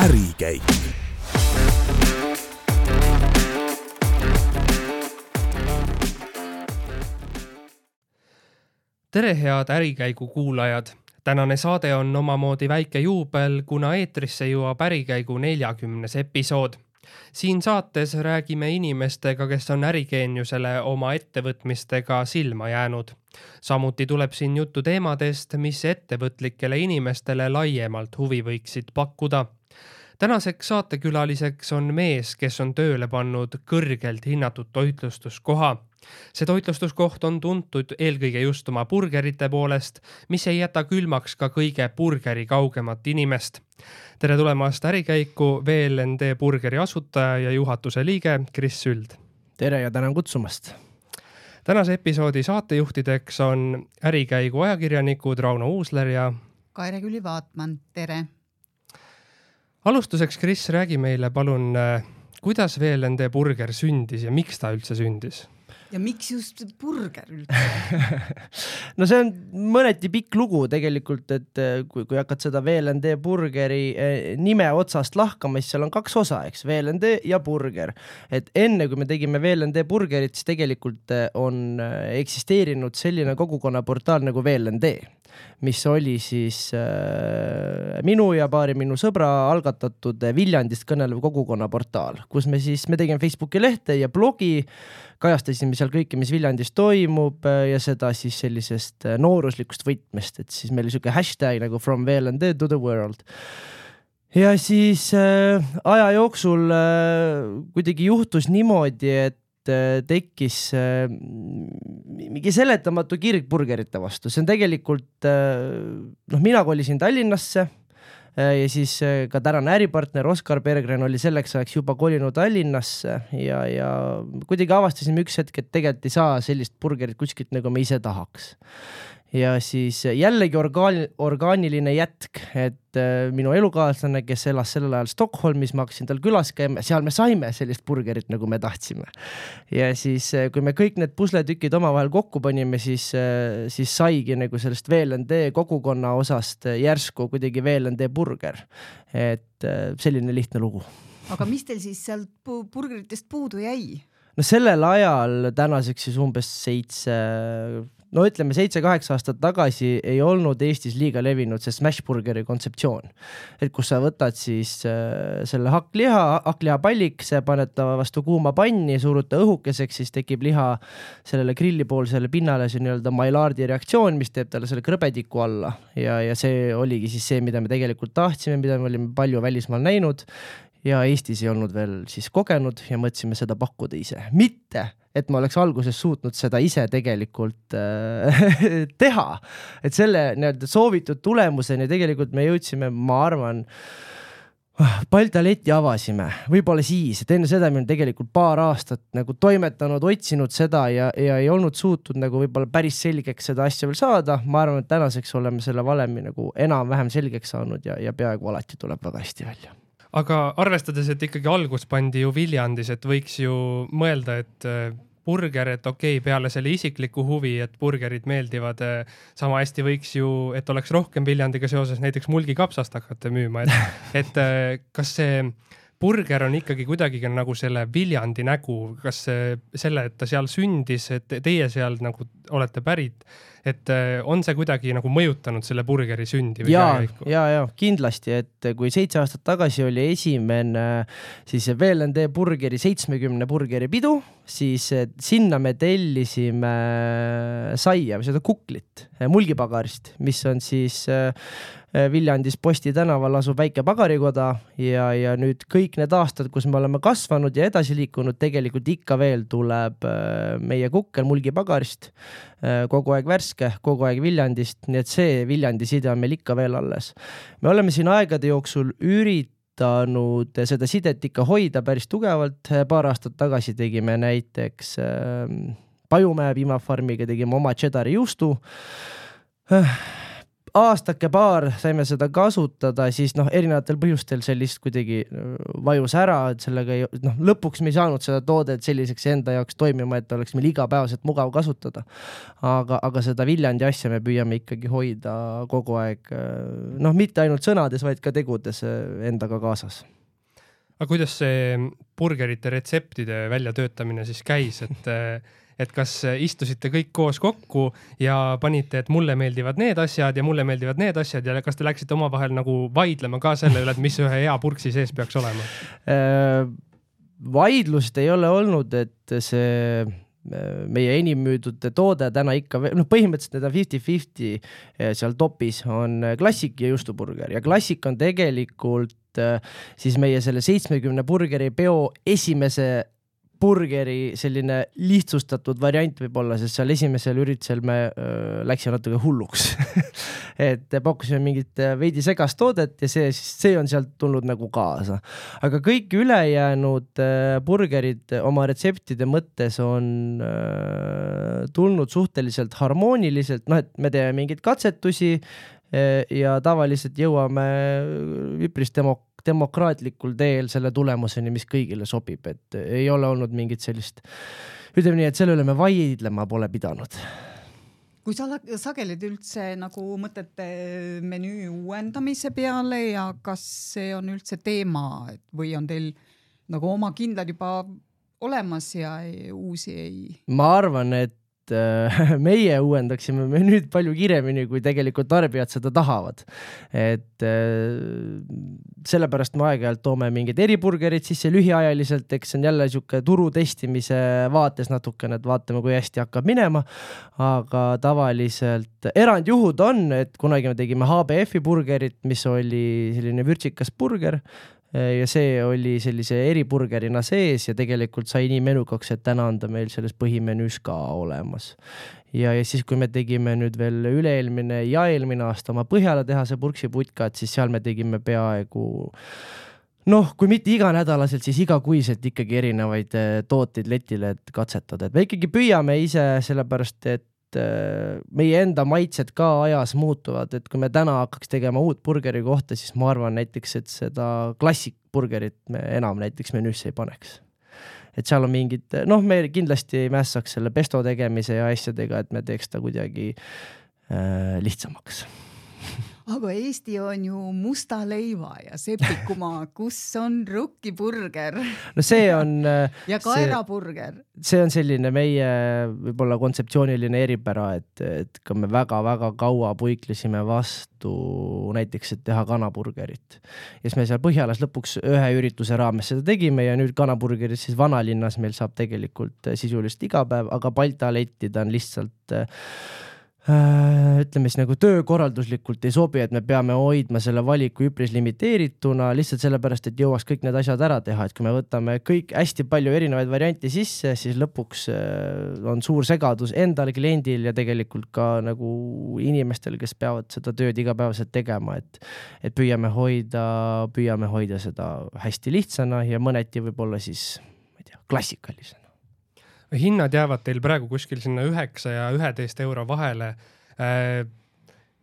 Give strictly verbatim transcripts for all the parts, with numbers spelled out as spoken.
ärikäik. Tere head ärikäigu kuulajad! Tänane saade on omamoodi väike juubel, kuna eetrisse jõuab ärikäigu neljakümnes episood. Siin saates räägime inimestega, kes on ärigeeniusele oma ettevõtmistega silma jäänud. Samuti tuleb siin juttu teemadest, mis ettevõtlikele inimestele laiemalt huvi võiksid pakkuda. Tänaseks saatekülaliseks on mees, kes on tööle pannud kõrgelt hinnatud toitlustuskoha. See toitlustuskoht on tuntud eelkõige just oma burgerite poolest, mis ei jäta külmaks ka kõige burgeri kaugemat inimest. Tere tulemast ärikäiku V L N D burgeri asutaja ja juhatuse liige Kris Süld. Tere ja tänan kutsumast. Tänase episoodi saatejuhtideks on ärikäigu ajakirjanikud Rauno Uusler ja Kaire Külli-Vaatman. Tere! Alustuseks, Kris, räägi meile palun, kuidas V L N D burger sündis ja miks ta üldse sündis? Ja miks just burger üldse? No see on mõneti pikk lugu tegelikult, et kui, kui hakkad seda V L N D burgeri nime otsast lahkama, siis seal on kaks osa, eks, V L N D ja burger. Et enne kui me tegime V L N D burgerit, siis tegelikult on eksisteerinud selline kogukonnaportaal nagu V L N D, mis oli siis äh, minu ja paari minu sõbra algatatud Viljandist kõnelev kogukonnaportaal, kus me siis, me tegime Facebooki lehte ja blogi, kajastasime seal kõike, mis Viljandis toimub ja seda siis sellisest nooruslikust võtmest, et siis meil oli selline hashtag nagu from V L N D to the world. Ja siis äh, aja jooksul äh, kuidagi juhtus niimoodi, et tekkis äh, mingi seletamatu kirg burgerite vastu. See on tegelikult, äh, noh, mina kolisin Tallinnasse äh, ja siis äh, ka tänane äripartner Oskar Berggren oli selleks ajaks juba kolinud Tallinnasse ja, ja kuidagi avastasime üks hetk, et tegelikult ei saa sellist burgerit kuskilt nagu me ise tahaks. Ja siis jällegi orgaan, orgaaniline jätk, et äh, minu elukaaslane, kes elas sellel ajal Stockholmis, ma hakkasin tal külas käima, seal me saime sellist burgerit, nagu me tahtsime. Ja siis, kui me kõik need pusletükid omavahel kokku panime, siis, äh, siis saigi nagu sellest V L N D kogukonna osast järsku kuidagi V L N D burger. Et äh, selline lihtne lugu. Aga mis teil siis sealt burgeritest puudu jäi? No sellel ajal tänaseks siis umbes seitse... No ütleme, seitse-kaheksa aastat tagasi ei olnud Eestis liiga levinud see smashburgeri kontseptsioon. Et kus sa võtad siis äh, selle hakkliha, hakklihapallik, see paned ta vastu kuuma panni, suruta õhukeseks, siis tekib liha sellele grillipoolsele pinnale, see nii-öelda Maillardi reaktsioon, mis teeb talle selle krõbediku alla. Ja, ja see oligi siis see, mida me tegelikult tahtsime, mida me olime palju välismaal näinud ja Eestis ei olnud veel siis kogenud ja mõtlesime seda pakkuda ise. Mitte, et ma oleks alguses suutnud seda ise tegelikult äh, teha. Et selle nii-öelda soovitud tulemuseni tegelikult me jõudsime, ma arvan, Baltaleti avasime, võib-olla siis, et enne seda me on tegelikult paar aastat nagu toimetanud, otsinud seda ja, ja ei olnud suutnud nagu võib-olla päris selgeks seda asja veel saada. Ma arvan, et tänaseks oleme selle valemi nagu enam-vähem selgeks saanud ja, ja peaaegu alati tuleb väga hästi välja. Aga arvestades, et ikkagi algus pandi ju Viljandis, et võiks ju mõelda, et burger, et okei, okay, peale selle isikliku huvi, et burgerid meeldivad, sama hästi võiks ju, et oleks rohkem Viljandiga seoses näiteks mulgikapsast hakata müüma. Et, et kas see burger on ikkagi kuidagi nagu selle Viljandi nägu, kas selle, et ta seal sündis, et teie seal nagu olete pärit, et on see kuidagi nagu mõjutanud selle burgeri sündi? Või ja, ja, ja, kindlasti, et kui seitse aastat tagasi oli esimene siis V L N D burgeri seitsmekümne burgeri pidu, siis sinna me tellisime saia või seda kuklit mulgipagarist, mis on siis Viljandis Posti tänaval asub väike pagarikoda ja, ja nüüd kõik need aastad, kus me oleme kasvanud ja edasi liikunud, tegelikult ikka veel tuleb meie kukkel mulgipagarist, kogu aeg värske, kogu aeg Viljandist, nii et see Viljandi side on meil ikka veel alles. Me oleme siin aegade jooksul üritanud seda sidet ikka hoida päris tugevalt, paar aastat tagasi tegime näiteks Pajumäe piimafarmiga, tegime oma cheddari juustu, aastake paar saime seda kasutada, siis noh, erinevatel põhjustel sellist kuidagi vajus ära, et sellega ei, noh, lõpuks me ei saanud seda toodet selliseks enda jaoks toimima, et oleks meil igapäevaselt mugav kasutada. Aga, aga seda Viljandi asja me püüame ikkagi hoida kogu aeg, noh, mitte ainult sõnades, vaid ka tegudes endaga kaasas. Aga kuidas see burgerite retseptide väljatöötamine siis käis, et et kas istusite kõik koos kokku ja panite, et mulle meeldivad need asjad ja mulle meeldivad need asjad ja kas te läksite omavahel nagu vaidlema ka selle üle, et mis ühe hea purksi sees peaks olema? Vaidlust ei ole olnud, et see meie enim müüdud toode täna ikka, noh, põhimõtteliselt need on viiskümmend viiskümmend seal topis on klassik ja juustuburger ja klassik on tegelikult siis meie selle seitsmekümne burgeri peo esimese burgeri selline lihtsustatud variant võib olla, sest seal esimesel üritusel me äh, läksime natuke hulluks et pakkusime mingit veidi segast toodet ja see, see on sealt tulnud nagu kaasa. Aga kõik ülejäänud äh, burgerid oma retseptide mõttes on äh, tulnud suhteliselt harmooniliselt, noh, et me teeme mingeid katsetusi äh, ja tavaliselt jõuame üpris demok- demokraatlikul teel selle tulemuseni, mis kõigile sobib, et ei ole olnud mingit sellist, ütleme nii, et selle üle me vaidlema pole pidanud. Kui sa sageled üldse nagu mõtlete menüü uuendamise peale ja kas see on üldse teema või on teil nagu oma kindlad juba olemas ja ei, uusi ei? Ma arvan, et meie uuendaksime me nüüd palju kiremini, kui tegelikult tarbijad seda tahavad. Et sellepärast me aeg-ajalt toome mingid eriburgerid sisse lühiajaliselt, eks see on jälle siuke turu testimise vaates natukene, et vaatame, kui hästi hakkab minema, aga tavaliselt erandjuhud on, et kunagi me tegime H B F-i burgerit, mis oli selline vürtsikas burger, ja see oli sellise eriburgerina sees ja tegelikult sai nii menukaks, et täna on ta meil selles põhimenüüs ka olemas. Ja, ja siis, kui me tegime nüüd veel üle-eelmine ja eelmine aasta oma Põhjala tehase purksiputkat, siis seal me tegime peaaegu, noh, kui mitte iganädalaselt, siis igakuiselt ikkagi erinevaid tooteid letile katsetada. Et me ikkagi püüame ise sellepärast, et meie enda maitsed ka ajas muutuvad, et kui me täna hakkaks tegema uut burgeri kohta, siis ma arvan näiteks, et seda klassik burgerit me enam näiteks menüüsse ei paneks. Et seal on mingid, noh, me kindlasti ei mässaks selle pesto tegemise ja asjadega, et me teeks ta kuidagi äh, lihtsamaks. Aga Eesti on ju musta leiva ja sepikumaa, kus on rukkiburger. No see on... ja kaeraburger. See on selline meie võib-olla kontseptsiooniline eripära, et, et kui me väga-väga kaua puiklesime vastu näiteks, et teha kanaburgerit. Ja siis me seal Põhjalas lõpuks ühe ürituse raames seda tegime ja nüüd kanaburgerit siis vanalinnas meil saab tegelikult sisulist iga päev, aga Baltalettida on lihtsalt... ütleme siis nagu töökorralduslikult ei sobi, et me peame hoidma selle valiku üpris limiteerituna lihtsalt sellepärast, et jõuaks kõik need asjad ära teha, et kui me võtame kõik hästi palju erinevaid variante sisse, siis lõpuks on suur segadus endal, kliendil ja tegelikult ka nagu inimestel, kes peavad seda tööd igapäevaselt tegema, et, et püüame hoida, püüame hoida seda hästi lihtsana ja mõneti võib-olla siis, ma ei tea, klassikalisena. Hinnad jäävad teil praegu kuskil sinna üheksa ja üheteist euro vahele.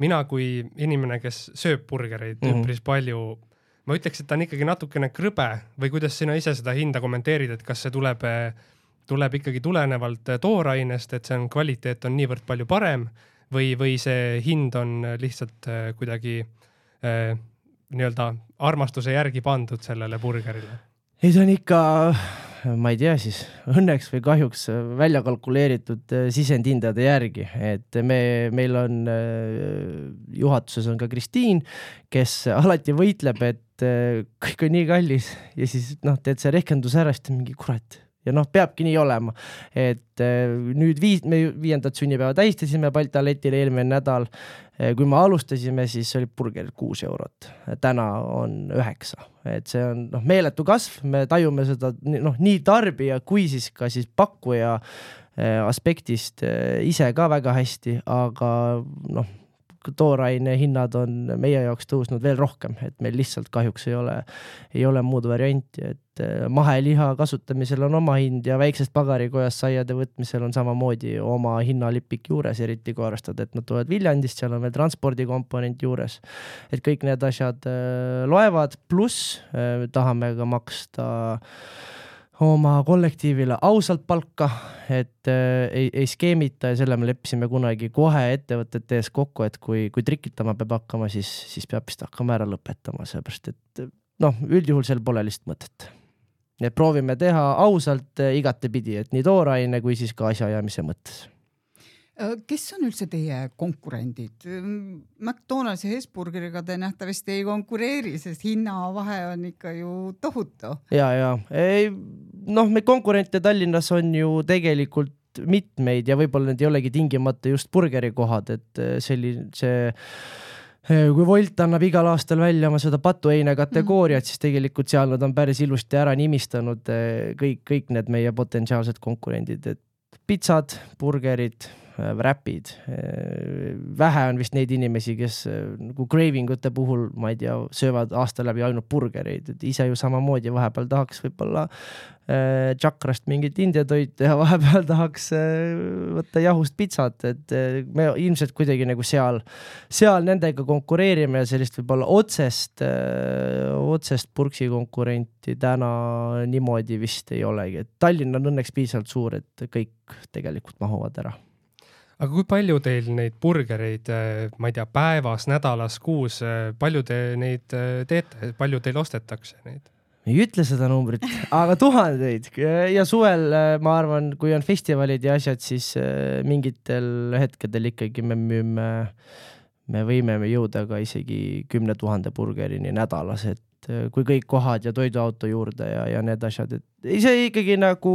Mina kui inimene, kes sööb burgereid mm-hmm. üpris palju, ma ütleks, et ta on ikkagi natukene krõbe või kuidas sina ise seda hinda kommenteerid, et kas see tuleb, tuleb ikkagi tulenevalt toorainest, et see on kvaliteet on niivõrd palju parem või, või see hind on lihtsalt kuidagi eh, nii-öelda armastuse järgi pandud sellele burgerile? Ei, see on ikka... ma ei tea siis, õnneks või kahjuks välja kalkuleeritud sisendhindade järgi, et me, meil on juhatuses on ka Kristiin, kes alati võitleb, et kõik on nii kallis ja siis noh, teed see rehkendus ära, siis mingi kurat ja noh, peabki nii olema, et nüüd viis, me viiendat sünnipäeva tähistasime Baltaletile eelmine nädal, kui me alustasime, siis oli burger kuus eurot, täna on üheksa, et see on noh, meeletu kasv, me tajume seda noh, nii tarbija kui siis ka siis pakkuja aspektist ise ka väga hästi, aga noh, tooraine hinnad on meie jaoks tõusnud veel rohkem, et meil lihtsalt kahjuks ei ole, ei ole muud varianti, et maheliha kasutamisel on oma hind ja väiksest pagarikojas saiade võtmisel on samamoodi oma hinnalipik juures, eriti kui arvestada, et nad tulevad Viljandist, seal on veel transpordikomponent juures, et kõik need asjad loevad, pluss tahame ka maksta oma kollektiivile ausalt palka, et äh, ei, ei skeemita ja selle me leppisime kunagi kohe ettevõtete ees kokku, et kui, kui trikitama peab hakkama, siis, siis peab vist hakkama ära lõpetama, seepärast et noh, üldjuhul seal pole lihtsalt mõtet. Nii et proovime teha ausalt äh, igatepidi, et nii tooraine kui siis ka asjaajamise mõttes. Kes on üldse teie konkurendid? McDonald's ja Hesburgeriga te nähtavasti ei konkureeri, sest hinnavahe on ikka ju tohutu. Ja, ja. Ei, noh, me konkurente Tallinnas on ju tegelikult mitmeid ja võib-olla need ei olegi tingimata just burgerikohad, et selline see kui Volt annab igal aastal välja oma seda patuheine kategooriat, mm. siis tegelikult seal nad on päris ilusti ära nimistanud kõik, kõik need meie potentsiaalsed konkurendid, et pitsad, burgerid, räpid. Vähe on vist neid inimesi, kes nagu cravingute puhul, ma ei tea, söövad aasta läbi ainult burgereid, et ise ju samamoodi vahepeal tahaks võib-olla Chakrast mingit indiatoitu ja vahepeal tahaks võtta jahust pitsat, et me ilmselt kuidagi nagu seal, seal nendega konkureerime ja sellist võib-olla otsest, otsest purksi konkurenti täna niimoodi vist ei olegi. Et Tallinn on õnneks piisavalt suur, et kõik tegelikult mahuvad ära. Aga kui palju teil neid burgereid, ma ei tea, päevas, nädalas, kuus, palju te neid teete, palju teil ostetakse neid? Ei ütle seda numbrit, aga tuhandeid ja suvel, ma arvan, kui on festivalid ja asjad, siis mingitel hetkedel ikkagi me müüme, me võime jõuda ka isegi kümne tuhande burgerini nädalas, et kui kõik kohad ja toiduauto juurde ja, ja need asjad, et ise ikkagi nagu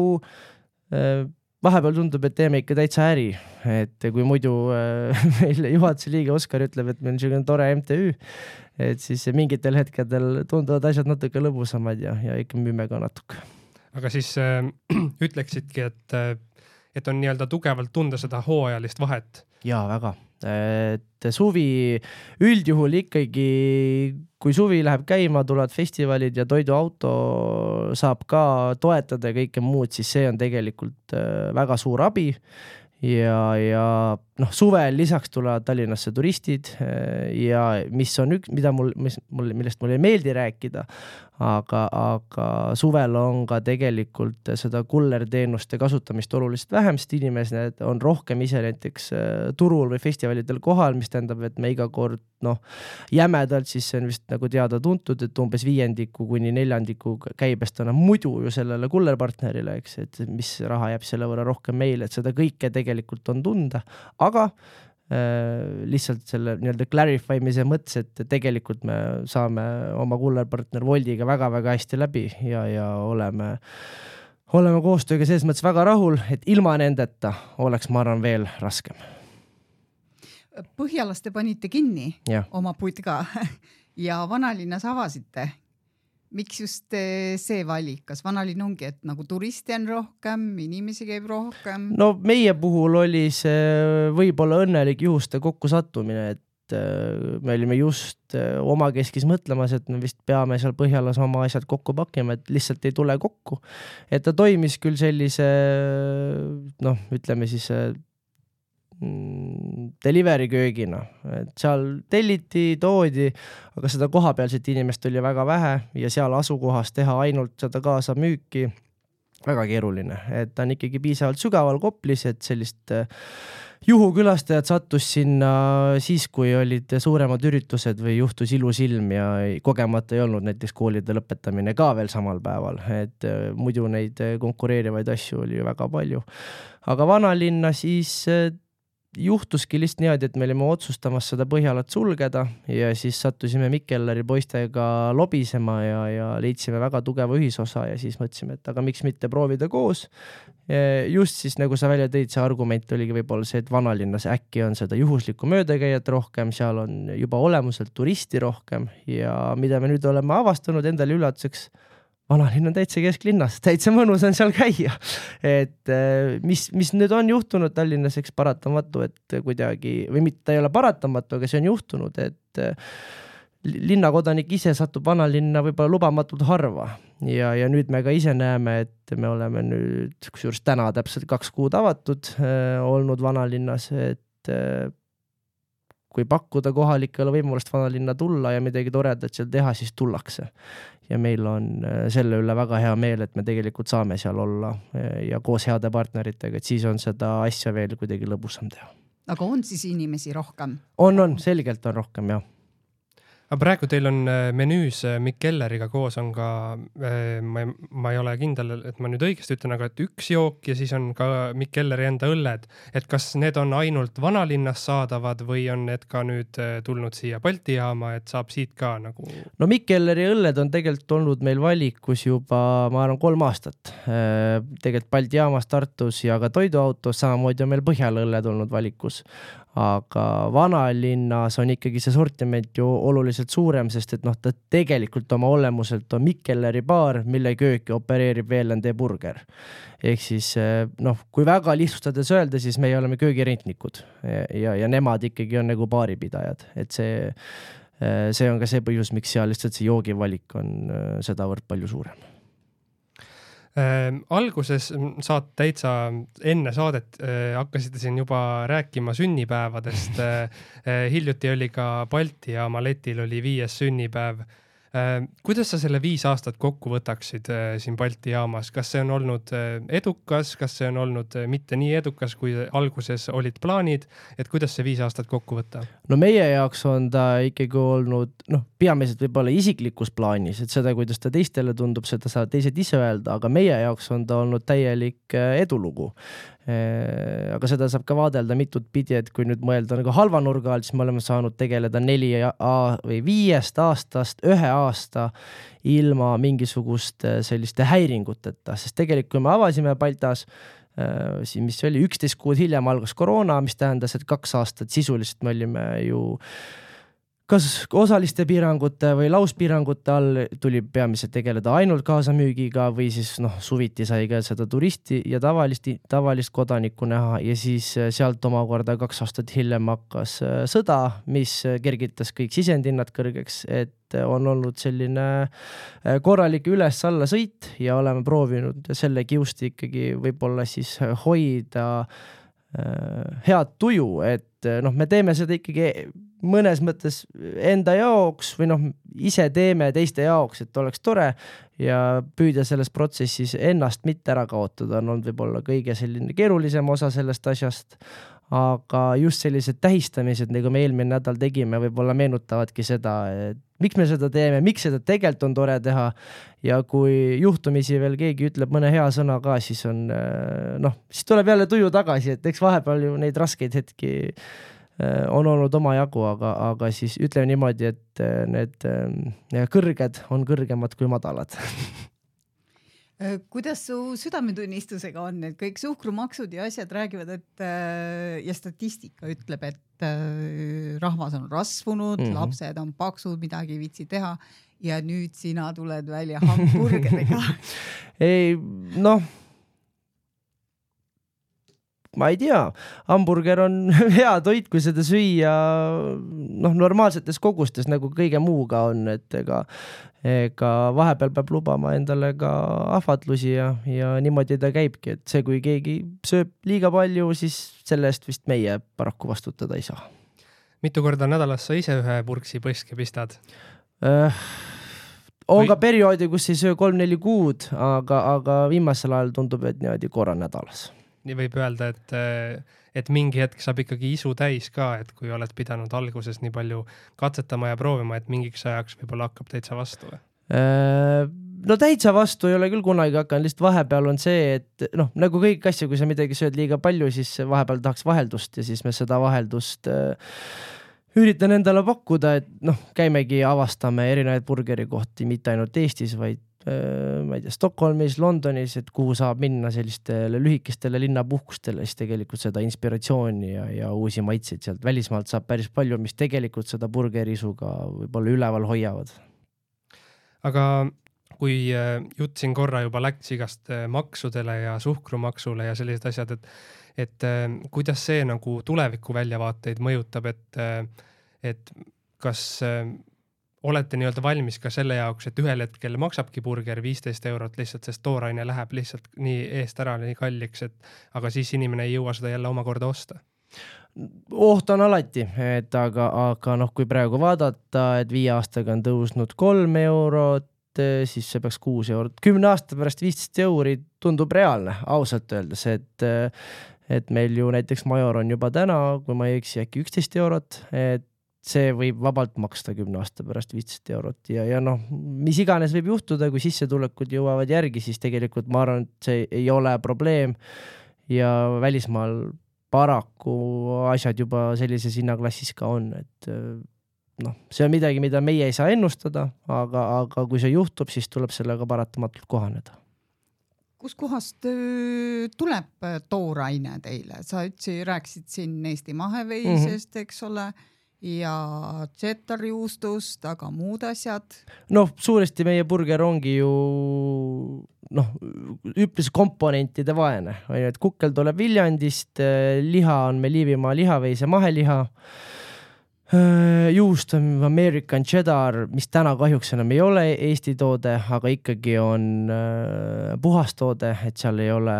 vahepeal tundub, et teeme ikka täitsa äri, et kui muidu äh, meil juhatuse liige Oskar ütleb, et meil on selline tore M T Ü, et siis mingitel hetkedel tunduvad asjad natuke lõbusamad ja, ja ikka müüme ka natuke. Aga siis äh, ütleksidki, et, et on nii-öelda tugevalt tunda seda hooajalist vahet? Jaa, väga. Et suvi üldjuhul ikkagi, kui suvi läheb käima, tulevad festivalid ja toiduauto saab ka toetada ja kõike muud, siis see on tegelikult väga suur abi ja, ja noh, suvel lisaks tulevad Tallinnasse turistid ja mis on üks, mida mul, mis, mul, millest mul ei meeldi rääkida, aga, aga suvel on ka tegelikult seda kullerteenuste kasutamist oluliselt vähem, sest inimesed on rohkem ise näiteks turul või festivalidel kohal, mis tähendab, et me iga kord noh, jämedalt siis see on vist nagu teada tuntud, et umbes viiendiku kuni neljandiku käibest on muidu ju sellele kullerpartnerile, eks, et mis raha jääb selle võrra rohkem meile, et seda kõike tegelikult on tunda, aga lihtsalt selle nii-öelda clarifymise mõttes, et tegelikult me saame oma kullerpartner Voldiga väga-väga hästi läbi ja, ja oleme, oleme koostööga selles mõttes väga rahul, et ilma nendeta oleks, ma arvan, veel raskem. Põhjalas te panite kinni ja. Oma putka ja vanalinnas avasite. Miks just see valik? Kas vanalinn ongi, et nagu turisti on rohkem, inimesi käib rohkem? No meie puhul oli see võib-olla õnnelik juhuste kokku sattumine, et me olime just oma keskis mõtlemas, et me vist peame seal Põhjalas oma asjad kokku pakkima, et lihtsalt ei tule kokku. Et ta toimis küll sellise, noh, ütleme siis delivery köögina, et seal telliti, toodi, aga seda kohapealset inimest oli väga vähe ja seal asukohas teha ainult seda kaasa müüki väga keeruline, et ta on ikkagi piisavalt sügaval Koplis, et sellist juhukülastajad sattus sinna siis, kui olid suuremad üritused või juhtus ilus ilm ja kogemata ei olnud näiteks koolide lõpetamine ka veel samal päeval, et muidu neid konkureerivaid asju oli ju väga palju. Aga vanalinna siis juhtuski lihtsalt niimoodi, et me olime otsustamas seda Põhjalat sulgeda ja siis sattusime Mikkellari poistega lobisema ja, ja leidsime väga tugeva ühisosa ja siis mõtlesime, et aga miks mitte proovida koos. Just siis, nagu sa välja tõid, see argument oligi võib-olla see, et vanalinnas äkki on seda juhuslikku möödakäijat rohkem, seal on juba olemuselt turisti rohkem ja mida me nüüd oleme avastanud endale üllatuseks, vanalinn on täitsa kesklinnas, täitsa mõnus on seal käia. Et mis, mis nüüd on juhtunud Tallinnas, eks paratamatu, et kuidagi, või mitte ei ole paratamatu, aga see on juhtunud, et linnakodanik ise satub vanalinna võib-olla lubamatult harva ja, ja nüüd me ka ise näeme, et me oleme nüüd kusjuures täna täpselt kaks kuud avatud äh, olnud vanalinnas, et äh, kui pakkuda kohalikele võimalust vanalinna tulla ja midagi toredat seal teha, siis tullakse. Ja meil on äh, selle üle väga hea meel, et me tegelikult saame seal olla äh, ja koos heade partneritega, et siis on seda asja veel kuidagi lõbusam teha. Aga on siis inimesi rohkem? On, on, selgelt on rohkem, jah. Aga praegu teil on menüüs Mikk Kelleriga koos on ka, ma ei, ma ei ole kindel, et ma nüüd õigesti ütlen, aga et üks jook ja siis on ka Mikk Kelleri enda õlled. Et kas need on ainult vanalinnas saadavad või on need ka nüüd tulnud siia Balti jaama, et saab siit ka nagu... No Mikk Kelleri õlled on tegelikult olnud meil valikus juba, ma arvan, kolm aastat. Tegelikult Balti jaamas, Tartus ja ka toiduautos, samamoodi on meil Põhjala õlled olnud valikus. Aga vanalinnas on ikkagi see sortiment ju oluliselt suurem, sest et noh, ta tegelikult oma olemuselt on Mikk Kelleri baar, mille kööki opereerib V L N D burger. Ehk siis noh, kui väga lihtsustades öelda, siis me oleme köögirentnikud ja, ja nemad ikkagi on nagu baaripidajad, et see, see on ka see põhjus, miks seal lihtsalt see joogivalik on sedavõrd palju suurem. Äh, alguses saad täitsa enne saadet äh, hakkasite siin juba rääkima sünnipäevadest. Äh, hiljuti oli ka Balti ja Maletil oli viies sünnipäev. Äh, kuidas sa selle viis aastat kokku võtaksid äh, siin Balti jaamas? Kas see on olnud äh, edukas, kas see on olnud äh, mitte nii edukas, kui alguses olid plaanid, et kuidas see viis aastat kokku võtta? No meie jaoks on ta ikkagi olnud, noh, peamiselt võib-olla isiklikus plaanis, et seda, kuidas ta teistele tundub, seda saavad teised ise öelda, aga meie jaoks on ta olnud täielik edulugu. Aga seda saab ka vaadelda mitut pidi, et kui nüüd mõelda nagu halva nurga all, siis me oleme saanud tegeleda neli või viiest aastast ühe aasta ilma mingisugust selliste häiringuteta, sest tegelikult kui me avasime Baltas, mis oli üksteist kuud hiljem algas koroona, mis tähendas, et kaks aastat sisuliselt me olime ju kas osaliste piirangute või lauspiirangute all tuli peamiselt tegeleda ainult kaasamüügiga või siis noh, suviti sai ka seda turisti ja tavalist, tavalist kodanikku näha ja siis sealt omakorda kaks aastat hiljem hakkas sõda, mis kergitas kõik sisendinnad kõrgeks, et on olnud selline korralik üles-alla sõit ja oleme proovinud selle kiusti ikkagi võib-olla siis hoida head tuju, et noh, me teeme seda ikkagi mõnes mõttes enda jaoks või noh, ise teeme teiste jaoks, et oleks tore ja püüda selles protsessis ennast mitte ära kaotada on olnud võib-olla kõige selline keerulisem osa sellest asjast, aga just sellised tähistamised, nagu me eelmine nädal tegime, võib-olla meenutavadki seda, et miks me seda teeme, miks seda tegelikult on tore teha ja kui juhtumisi veel keegi ütleb mõne hea sõna ka, siis on noh, siis tuleb jälle tuju tagasi, et eks vahepeal ju neid raskeid hetki on olnud oma jagu, aga, aga siis ütleme niimoodi, et need kõrged on kõrgemad kui madalad. Kuidas su südametunnistusega on, et kõik suhkrumaksud ja asjad räägivad, et ja statistika ütleb, et rahvas on rasvunud, mm-hmm. lapsed on paksud, midagi ei viitsi teha ja nüüd sina tuled välja hamburgeriga. Ei, noh, ma ei tea, hamburger on hea toit, kui seda süüa noh, normaalsetes kogustes, nagu kõige muuga on, et ega, ega vahepeal peab lubama endale ka ahvatlusi ja, ja niimoodi ta käibki, et see, kui keegi sööb liiga palju, siis selle eest vist meie paraku vastutada ei saa. Mitu korda nädalas sa ise ühe purksi põske pistad? Äh, on Või... ka perioodi, kus ei söö kolm-neli kuud, aga, aga viimasel ajal tundub, et niimoodi korra nädalas. Nii võib öelda, et, et mingi hetk saab ikkagi isu täis ka, et kui oled pidanud alguses nii palju katsetama ja proovima, et mingiks ajaks võib-olla hakkab täitsa vastu? No täitsa vastu ei ole küll kunagi hakanud, lihtsalt vahepeal on see, et noh, nagu kõik asja, kui sa midagi sööd liiga palju, siis vahepeal tahaks vaheldust ja siis me seda vaheldust üritan endale pakkuda, et noh, käimegi avastame erinevaid burgerikohti, mitte ainult Eestis, vaid ma ei tea, Stockholmis, Londonis, et kuhu saab minna sellistele lühikestele linnapuhkustele, siis tegelikult seda inspiratsiooni ja, ja uusi maitseid sealt välismaalt saab päris palju, mis tegelikult seda burgerisuga võib-olla üleval hoiavad. Aga kui jutt siin korra juba läks igast maksudele ja suhkrumaksule ja sellised asjad, et, et kuidas see nagu tuleviku väljavaateid mõjutab, et, et kas olete nii-öelda valmis ka selle jaoks, et ühel hetkel maksabki burger viisteist eurot lihtsalt, sest tooraine läheb lihtsalt nii eest ära, nii kalliks, et aga siis inimene ei jõua seda jälle omakorda osta? Oht on alati, et aga, aga noh, kui praegu vaadata, et viie aastaga on tõusnud kolm eurot, siis see peaks kuus eurot. Kümne aasta pärast viisteist euri tundub reaalne, ausalt öeldes, et, et meil ju näiteks Major on juba täna, kui ma ei eksi, äkki üksteist eurot, et see võib vabalt maksta kümne aasta pärast viisteist eurot ja, ja noh, mis iganes võib juhtuda, kui sissetulekud jõuavad järgi, siis tegelikult ma arvan, et see ei ole probleem ja välismaal paraku asjad juba sellises hinnaklassis ka on, et noh, see on midagi, mida meie ei saa ennustada, aga, aga kui see juhtub, siis tuleb sellega paratamatult kohaneda. Kus kohast tuleb tooraine teile? Sa ütsi, rääksid siin Eesti maheveisest, mm-hmm. eks ole, ja tšettarjuustust, aga muud asjad? Noh, suuresti meie burger ongi ju noh, üpris komponentide vaene. Et kukkel tuleb Viljandist, liha on meil Liivimaa lihaveise maheliha, juust on American Cheddar, mis täna kahjuks enam ei ole Eesti toode, aga ikkagi on puhastoode, et seal ei ole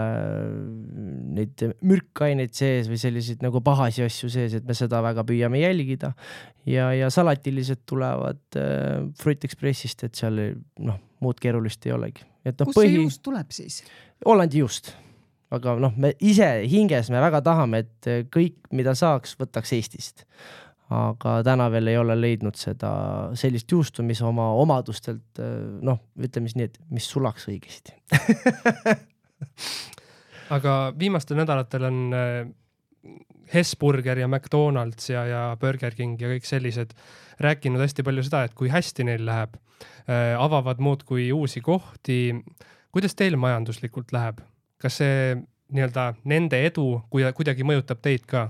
neid mürkaineid sees või selliseid nagu pahasi asju sees, et me seda väga püüame jälgida. Ja, ja salatilised tulevad Fruit Expressist, et seal noh, muud keerulist ei olegi. Et no, kus põhi... see juust tuleb siis? Hollandi juust. Aga noh, me ise hinges me väga tahame, et kõik, mida saaks, võtaks Eestist. Aga täna veel ei ole leidnud seda sellist juustu, mis oma omadustelt, noh, ütleme nii, et mis sulaks õigesti. Aga viimastel nädalatel on Hesburger ja McDonald's ja, ja Burger King ja kõik sellised rääkinud hästi palju seda, et kui hästi neil läheb, avavad muud kui uusi kohti. Kuidas teil majanduslikult läheb? Kas see nii-öelda nende edu kuidagi mõjutab teid ka?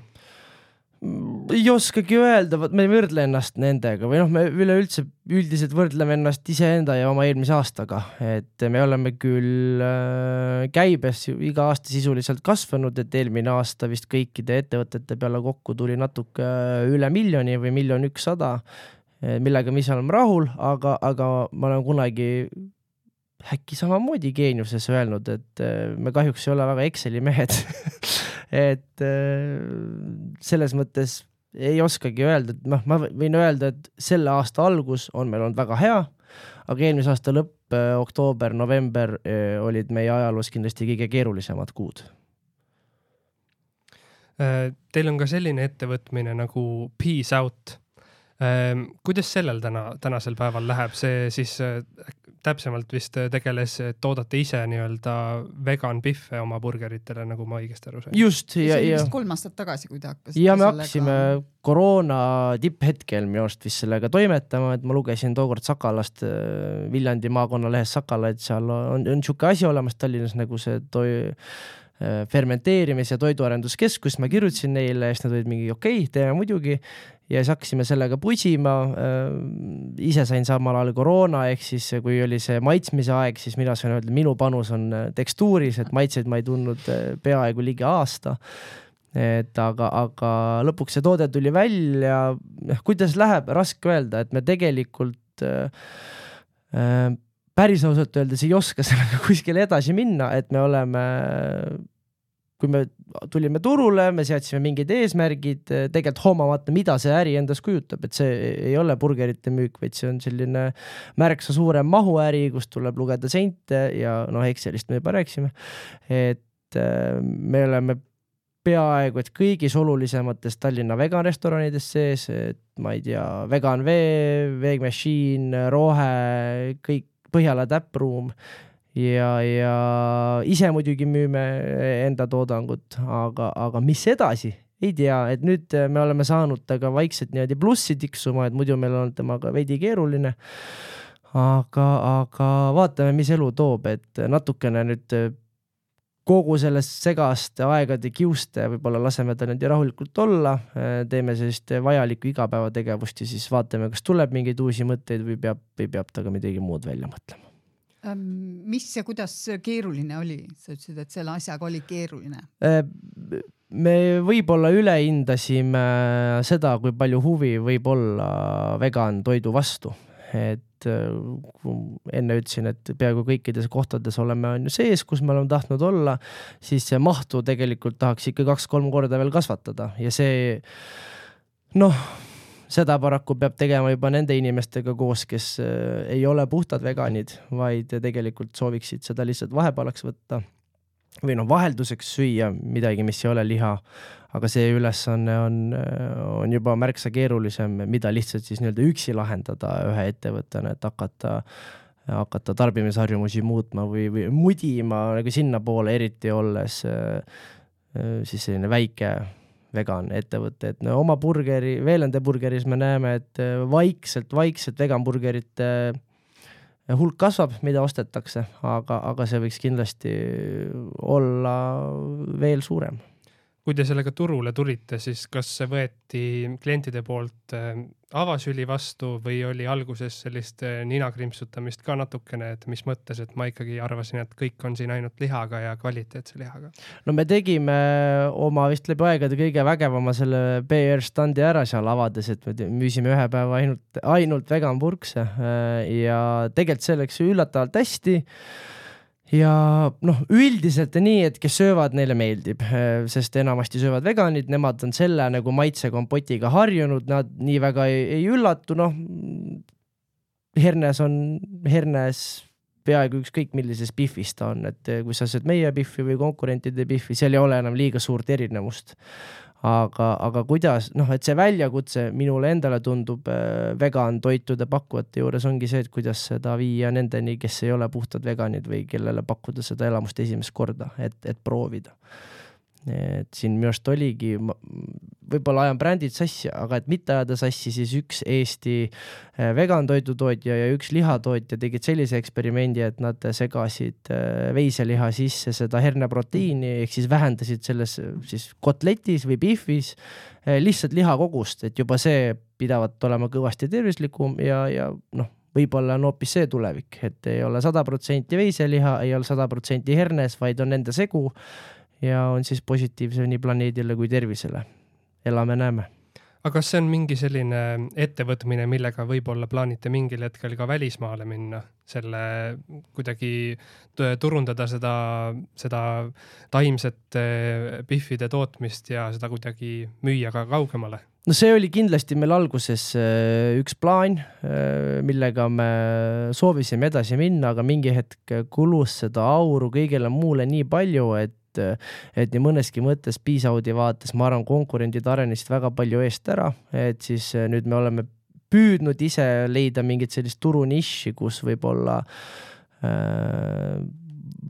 Ei oskagi öelda, me ei võrdle ennast nendega või noh, me üleüldse üldiselt võrdleme ennast iseenda ja oma eelmise aastaga, et me oleme küll käibes iga aasta sisuliselt kasvanud, et eelmine aasta vist kõikide ettevõtete peale kokku tuli natuke üle miljoni või miljon ükssada, millega me ise oleme rahul, aga, aga ma olen kunagi äkki samamoodi geeniuses öelnud, et me kahjuks ei ole väga Exceli mehed. Et selles mõttes ei oskagi öelda, et noh, ma võin öelda, et selle aasta algus on meil olnud väga hea, aga eelmise aasta lõpp, oktoober, november olid meie ajaloos kindlasti kõige keerulisemad kuud. Teil on ka selline ettevõtmine nagu Peace Out. Kuidas sellel täna, tänasel päeval läheb? See siis täpsemalt vist tegeles, et toodate ise nii-öelda vegan biffe oma burgeritele, nagu ma õigesti aru sain. Just. Ja, see oli vist kolm aastat tagasi, kui te hakkasite ja me hakkasime sellega... koroona tipphetkel minu arust vist sellega toimetama, et ma lugesin tookord Sakalast, Viljandi maakonna lehes Sakala, et seal on, on siuke asi olemas Tallinnas nagu see toi... fermenteerimis- ja toiduarenduskeskus, ma kirjutasin neile, ja nad olid mingi okei, okay, teeme muidugi, ja siis hakkasime sellega pusima, ise sain samal ajal koroona, ehk siis kui oli see maitsmise aeg, siis mina sain öelda, minu panus on tekstuuris, et maitseid ma ei tundnud peaaegu ligi aasta, et aga, aga lõpuks see toode tuli välja, kuidas läheb, raske öelda, et me tegelikult äh, päris ausalt öeldes ei oska sellega kuskile edasi minna, et me oleme, kui me tulime turule, me seadsime mingid eesmärgid, tegelikult hoomamata, mida see äri endas kujutab, et see ei ole burgerite müük, vaid see on selline märksa suurem mahuäri, kus tuleb lugeda sente ja noh, Excelist me juba rääksime, et me oleme peaaegu, et kõigis olulisemates Tallinna vegan restoranides sees, et ma ei tea, Vegan Vee, Veg Machine, Rohe, kõik Põhjala täppruum ja, ja ise muidugi müüme enda toodangut, aga, aga mis edasi? Ei tea, et nüüd me oleme saanud taga vaikselt niimoodi plussi tiksuma, et muidu meil on temaga veidi keeruline, aga, aga vaatame, mis elu toob, et natukene nüüd kogu sellest segast aegade kiuste võib-olla laseme ta nüüd rahulikult olla, teeme sellist vajalikku igapäevategevust ja siis vaatame, kas tuleb mingeid uusi mõtteid või peab, või peab ta ka midagi muud välja mõtlema. Mis ja kuidas keeruline oli? Sa ütlesid, et selle asjaga oli keeruline. Me võib-olla ülehindasime seda, kui palju huvi võib olla vegan toidu vastu. Et enne ütlesin, et peaaegu kõikides kohtades oleme on ju sees, kus me oleme tahtnud olla, siis see mahtu tegelikult tahaks ikka kaks-kolm korda veel kasvatada ja see noh, seda paraku peab tegema juba nende inimestega koos, kes ei ole puhtad veganid, vaid tegelikult sooviksid seda lihtsalt vahepalaks võtta või noh, vahelduseks süüa midagi, mis ei ole liha, aga see ülesanne on, on juba märksa keerulisem, mida lihtsalt siis nii-öelda üksi lahendada ühe ettevõttena, et hakata, hakata tarbimisharjumusi muutma või, või mudima nagu sinna poole, eriti olles siis selline väike vegan ettevõte, et no, oma burgeri, Veelende burgeris me näeme, et vaikselt, vaikselt vegan burgerite hulk kasvab, mida ostetakse, aga, aga see võiks kindlasti olla veel suurem. Kui te sellega turule tulite, siis kas see võeti klientide poolt avasüli vastu või oli alguses sellist ninakrimpsutamist ka natukene, et mis mõttes, et ma ikkagi arvasin, et kõik on siin ainult lihaga ja kvaliteetse lihaga? No me tegime oma vist läbi aegade kõige vägevama selle B R standi ära seal avades, et me müüsime ühe päeva ainult, ainult vegan purkse ja tegelikult see läks üllatavalt hästi. Ja noh, üldiselt on nii, et kes söövad, neile meeldib, sest enamasti söövad veganid, nemad on selle nagu maitse kompotiga harjunud, nad nii väga ei, ei üllatu, noh, hernes on, hernes peaaegu ükskõik millises bifis ta on, et kui sa sööd meie biffi või konkurentide biffi, seal ei ole enam liiga suurt erinevust. Aga, aga kuidas, noh, et see väljakutse minule endale tundub vegan toitude pakkuvate juures ongi see, et kuidas seda viia nendeni, kes ei ole puhtad veganid või kellele pakkuda seda elamust esimest korda, et, et proovida. Et siin minu arust oligi, võib-olla ajan brändid sassi, aga et mitte ajada sassi, siis üks Eesti vegan toidutootja ja üks lihatootja tegid sellise eksperimendi, et nad segasid veiseliha sisse seda herneproteiini, ehk siis vähendasid selles siis kotletis või bifis lihtsalt lihakogust, et juba see pidavat olema kõvasti tervislikum ja, ja noh, võib-olla on hoopis see tulevik, et ei ole sada protsenti veiseliha, ei ole sada protsenti hernes, vaid on nende segu ja on siis positiivse nii planeedile kui tervisele. Elame, näeme. Aga kas see on mingi selline ettevõtmine, millega võib-olla plaanite mingil hetkel ka välismaale minna, selle kuidagi turundada seda, seda taimset biffide tootmist ja seda kuidagi müüa ka kaugemale? No see oli kindlasti meil alguses üks plaan, millega me soovisime edasi minna, aga mingi hetk kulus seda auru kõigele muule nii palju, et et nii mõneski mõttes Piisaudi vaates, ma arvan, konkurendid arenesid väga palju eest ära, et siis nüüd me oleme püüdnud ise leida mingit sellist turuniši, kus võib-olla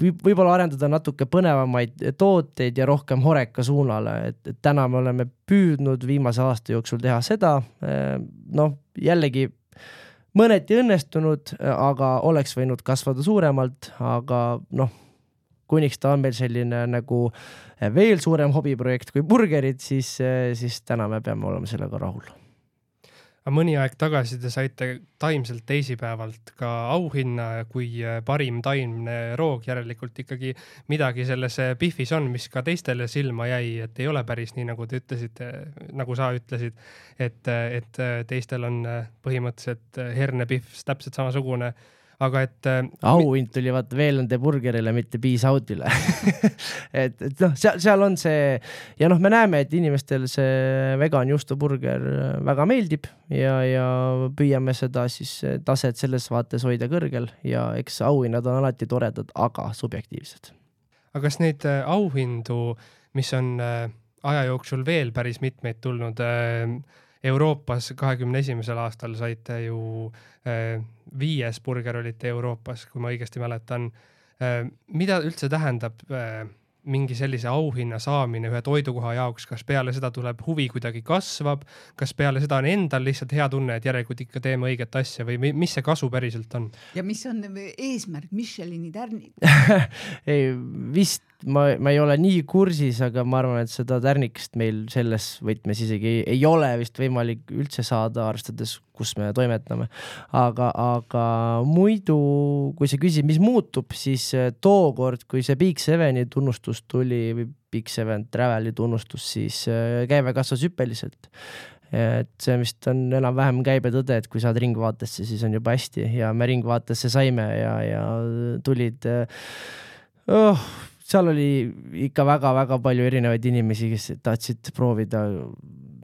võib-olla arendada natuke põnevamaid tooteid ja rohkem horeka suunale, et, et täna me oleme püüdnud viimase aasta jooksul teha seda, noh, jällegi mõneti õnnestunud, aga oleks võinud kasvada suuremalt, aga noh, kuniks ta on meil selline nagu veel suurem hobiprojekt kui burgerid, siis, siis täna me peame olema sellega rahul. Aga mõni aeg tagasi te saite taimselt teisipäevalt ka auhinna, kui parim taimne roog, järelikult ikkagi midagi selles biffis on, mis ka teistele silma jäi, et ei ole päris nii, nagu te ütlesite, nagu sa ütlesid, et, et teistel on põhimõtteliselt hernebiff täpselt samasugune. Aga et auhind tuli vaata Veelende burgerile, mitte Piisaudile. et, et noh, seal, seal on see ja noh, me näeme, et inimestel see vegan juustuburger väga meeldib ja, ja püüame seda siis taset selles vaates hoida kõrgel ja eks auhinnad on alati toredad, aga subjektiivsed. Aga kas neid auhindu, mis on aja jooksul veel päris mitmeid tulnud, Euroopas kahekümne esimesel aastal saite ju äh, viies burger olite Euroopas, kui ma õigesti mäletan. Äh, mida üldse tähendab äh, mingi sellise auhinna saamine ühe toidukoha jaoks? Kas peale seda tuleb huvi kuidagi kasvab? Kas peale seda on endal lihtsalt hea tunne, et järelikult ikka teeme õiget asja või mis see kasu päriselt on? Ja mis on eesmärk? Michelini tärnid? Ei, vist ma, ma ei ole nii kursis, aga ma arvan, et seda tärnikest meil selles võtmes isegi ei, ei ole vist võimalik üldse saada, arvestades, kus me toimetame. Aga, aga muidu, kui sa küsid, mis muutub, siis tookord, kui see Big Seveni tunnustus tuli või Big Seven Traveli tunnustus, siis käive kasvas hüppeliselt. Et see vist on enam-vähem käibe tõde, et kui saad ringvaatesse, siis on juba hästi ja me ringvaatesse saime ja, ja tulid oh, seal oli ikka väga-väga palju erinevaid inimesi, kes tahtsid proovida,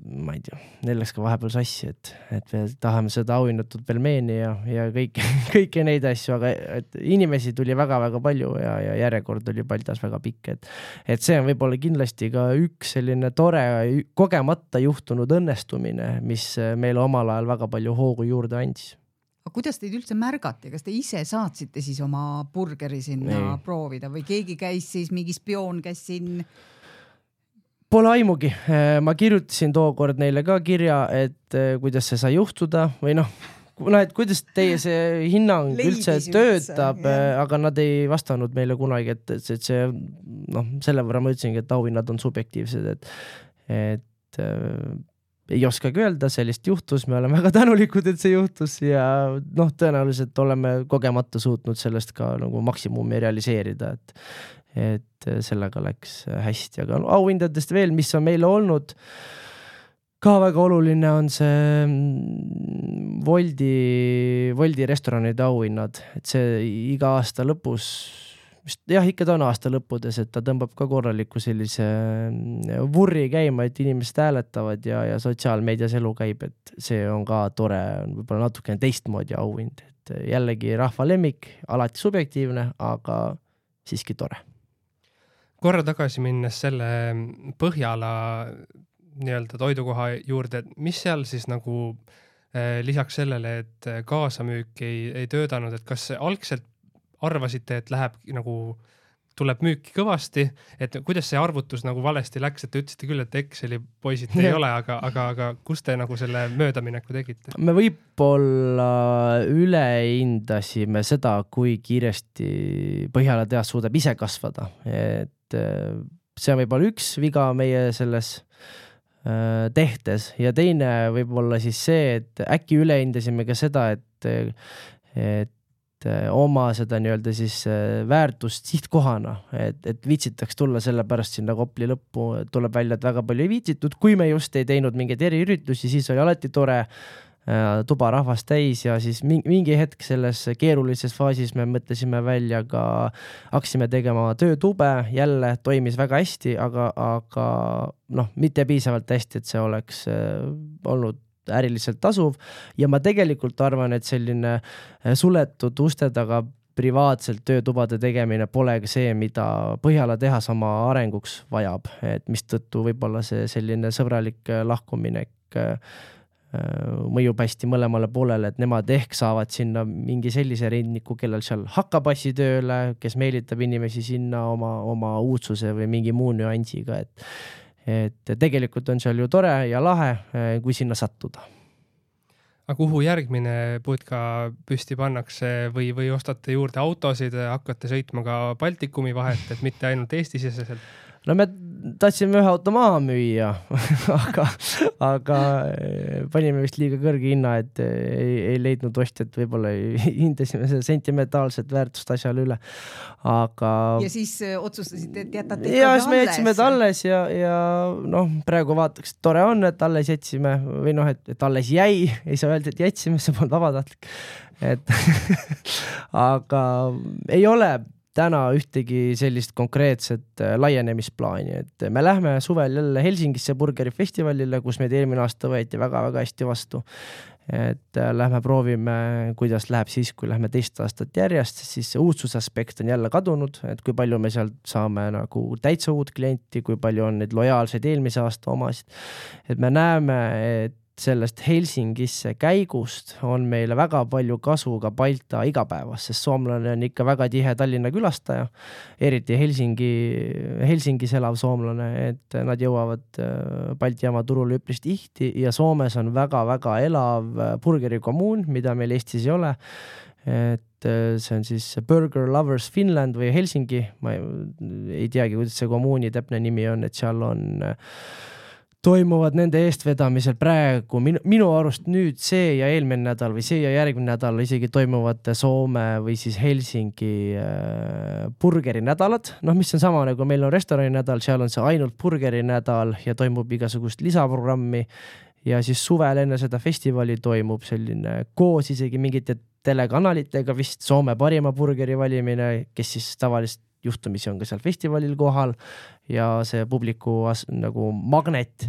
ma ei tea, neil läks ka vahepeal sassi, et, et me tahame seda auhinnatud pelmeeni ja, ja kõik, kõiki neid asju, aga et inimesi tuli väga-väga palju ja, ja järjekord oli Baltas väga pikk, et, et see on võib-olla kindlasti ka üks selline tore kogemata juhtunud õnnestumine, mis meile omal ajal väga palju hoogu juurde andis. Aga kuidas teid üldse märgati? Kas te ise saatsite siis oma burgeri sinna Ei. proovida või keegi käis siis, mingi spioon käis siin? Pole aimugi. Ma kirjutasin tookord neile ka kirja, et kuidas see sai juhtuda või noh, no, et kuidas teie see hinnang Leidis üldse töötab, üldse, aga nad ei vastanud meile kunagi, et, et see, noh, selle võrra ma ütlesingi, et auhinnad on subjektiivsed, et, et äh, ei oskagi öelda, sellist juhtus, me oleme väga tänulikud, et see juhtus ja noh, tõenäoliselt oleme kogemata suutnud sellest ka nagu maksimumi realiseerida, et et sellega läks hästi, aga no, auhindadest veel, mis on meile olnud ka väga oluline, on see Woldi, Woldi restoranide auhinnad, et see iga aasta lõpus, jah, ikka ta on aasta lõppudes, et ta tõmbab ka korraliku sellise vurri käima, et inimesed hääletavad ja, ja sotsiaalmeedias elu käib, et see on ka tore, võib-olla natukene teistmoodi auhind, et jällegi rahva lemmik, alati subjektiivne, aga siiski tore. Korra tagasi minnes selle Põhjala nii-öelda toidukoha juurde, mis seal siis nagu eh, lisaks sellele, et kaasamüük ei, ei töödanud, et kas algselt arvasite, et läheb nagu tuleb müüki kõvasti, et kuidas see arvutus nagu valesti läks, et te ütlesite küll, et Exceli poisid ei ole, aga, aga, aga kus te nagu selle möödamineku tegite? Me võib-olla ülehindasime seda, kui kiiresti Põhjala tehas suudab ise kasvada, et see on võib-olla üks viga meie selles tehtes ja teine võib-olla siis see, et äkki ülehindasime ka seda, et, et oma seda nii-öelda siis väärtust sihtkohana, et, et viitsitaks tulla selle pärast sinna Kopli lõppu, tuleb välja, et väga palju ei viitsitud, kui me just ei teinud mingeid eriüritusi, siis oli alati tore tuba rahvast täis ja siis mingi hetk selles keerulises faasis me mõtlesime välja ka, hakkasime tegema töötube, jälle toimis väga hästi, aga, aga noh, mitte piisavalt hästi, et see oleks olnud äriliselt tasuv ja ma tegelikult arvan, et selline suletud uste taga privaatselt töötubade tegemine polegi see, mida Põhjala tehas oma arenguks vajab, et mis tõttu võib-olla see selline sõbralik lahkuminek mõjub hästi mõlemale poolele, et nemad ehk saavad sinna mingi sellise rindniku, kellel seal hakkapassi tööle, kes meelitab inimesi sinna oma, oma uudsuse või mingi muu nüansiga, et et tegelikult on seal ju tore ja lahe, kui sinna sattuda. Aga kuhu järgmine putka püsti pannakse või, või ostate juurde autosid, hakkate sõitma ka Baltikumi vahet, et mitte ainult Eesti-siseselt? No me tahtsime ühe auto maha müüa, aga, aga panime vist liiga kõrge hinna, et ei, ei leidnud ostjat, võib-olla hindasime seda sentimentaalset väärtust asjale üle. Aga... Ja siis otsustasite, et jätate ja siis me jätsime et alles ja, ja noh, praegu vaataks, tore on, et alles jätsime või noh, et, et alles jäi, ei saa öelda, et jätsime, see polnud vabatahtlik. Et aga ei ole täna ühtegi sellist konkreetset laienemisplaani, et me lähme suvel jälle Helsingisse burgerifestivalile, kus meid eelmine aasta võeti väga-väga hästi vastu. Et lähme proovime, kuidas läheb siis, kui lähme teist aastat järjest, siis see uudsusaspekt on jälle kadunud, et kui palju me sealt saame nagu täitsa uut klienti, kui palju on neid lojaalseid eelmise aasta omasid. Et me näeme, et sellest Helsingisse käigust on meile väga palju kasu ka Balta igapäevas, sest soomlane on ikka väga tihe Tallinna külastaja, eriti Helsingi, Helsingis elav soomlane, et nad jõuavad Balti jaama turule üpris tihti ja Soomes on väga-väga elav burgerikommuun, mida meil Eestis ei ole. et see on siis Burger Lovers Finland või Helsingi, ma ei, ei teagi, kuidas see kommuuni täpne nimi on, et seal on toimuvad nende eestvedamisel praegu minu, minu arust nüüd see ja eelmine nädal või see ja järgmine nädal isegi toimuvad Soome või siis Helsingi äh, burgeri nädalad, noh mis on sama nagu meil on restorani nädal, seal on see ainult burgeri nädal ja toimub igasugust lisaprogrammi ja siis suvel enne seda festivali toimub selline koos isegi mingite telekanalitega vist Soome parima burgeri valimine, kes siis tavaliselt juhtumisi on ka seal festivalil kohal ja see publiku as, nagu magnet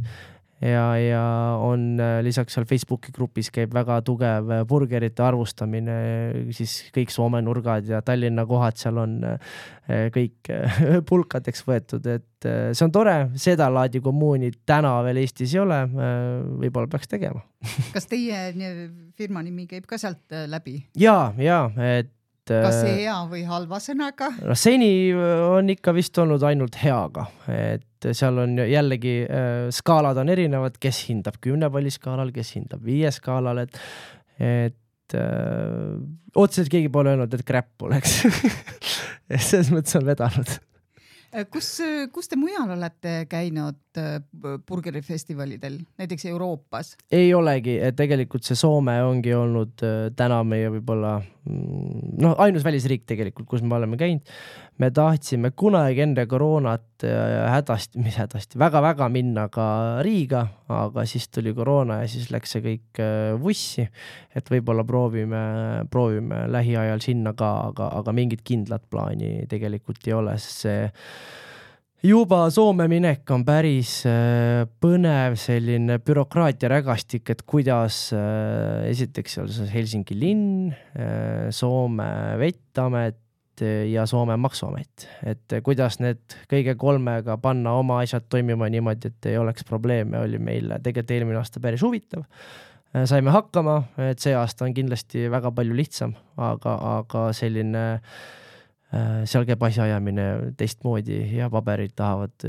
ja, ja on lisaks seal Facebooki grupis käib väga tugev burgerite arvustamine, siis kõik Soome nurgad ja Tallinna kohad seal on kõik pulkadeks võetud, et see on tore, seda laadi kommuuni täna veel Eestis ei ole, võib-olla peaks tegema. Kas teie firma nimi käib ka sealt läbi? Jaa, jaa, et kas see hea või halva sõnaga? No, seni on ikka vist olnud ainult heaga, et seal on jällegi äh, skaalad on erinevad, kes hindab kümne palli skaalal, kes hindab viie skaalal, et, et äh, otseselt keegi pole öelnud, et crap oleks. Selles mõttes on vedanud. Kus, kus te mujal olete käinud burgerifestivalidel, näiteks Euroopas? Ei olegi, et tegelikult see Soome ongi olnud täna meie võib-olla no, ainus välisriik tegelikult, kus me oleme käinud. Me tahtsime kunagi enne koroonat hädasti, mis hädasti, väga-väga minna ka Riiga, aga siis tuli koroona ja siis läks see kõik vussi, et võib-olla proovime, proovime lähiajal sinna ka, aga, aga mingit kindlat plaani tegelikult ei ole, sest see juba Soome minek on päris põnev selline bürokraatia rägastik, et kuidas esiteks seal Helsingi linn, Soome vettamet ja Soome maksuamet, et kuidas need kõige kolmega panna oma asjad toimima niimoodi, et ei oleks probleeme, oli meil tegelikult eelmine aasta päris huvitav. Saime hakkama, et see aasta on kindlasti väga palju lihtsam, aga, aga selline seal käib asjaajamine teistmoodi ja paberid tahavad,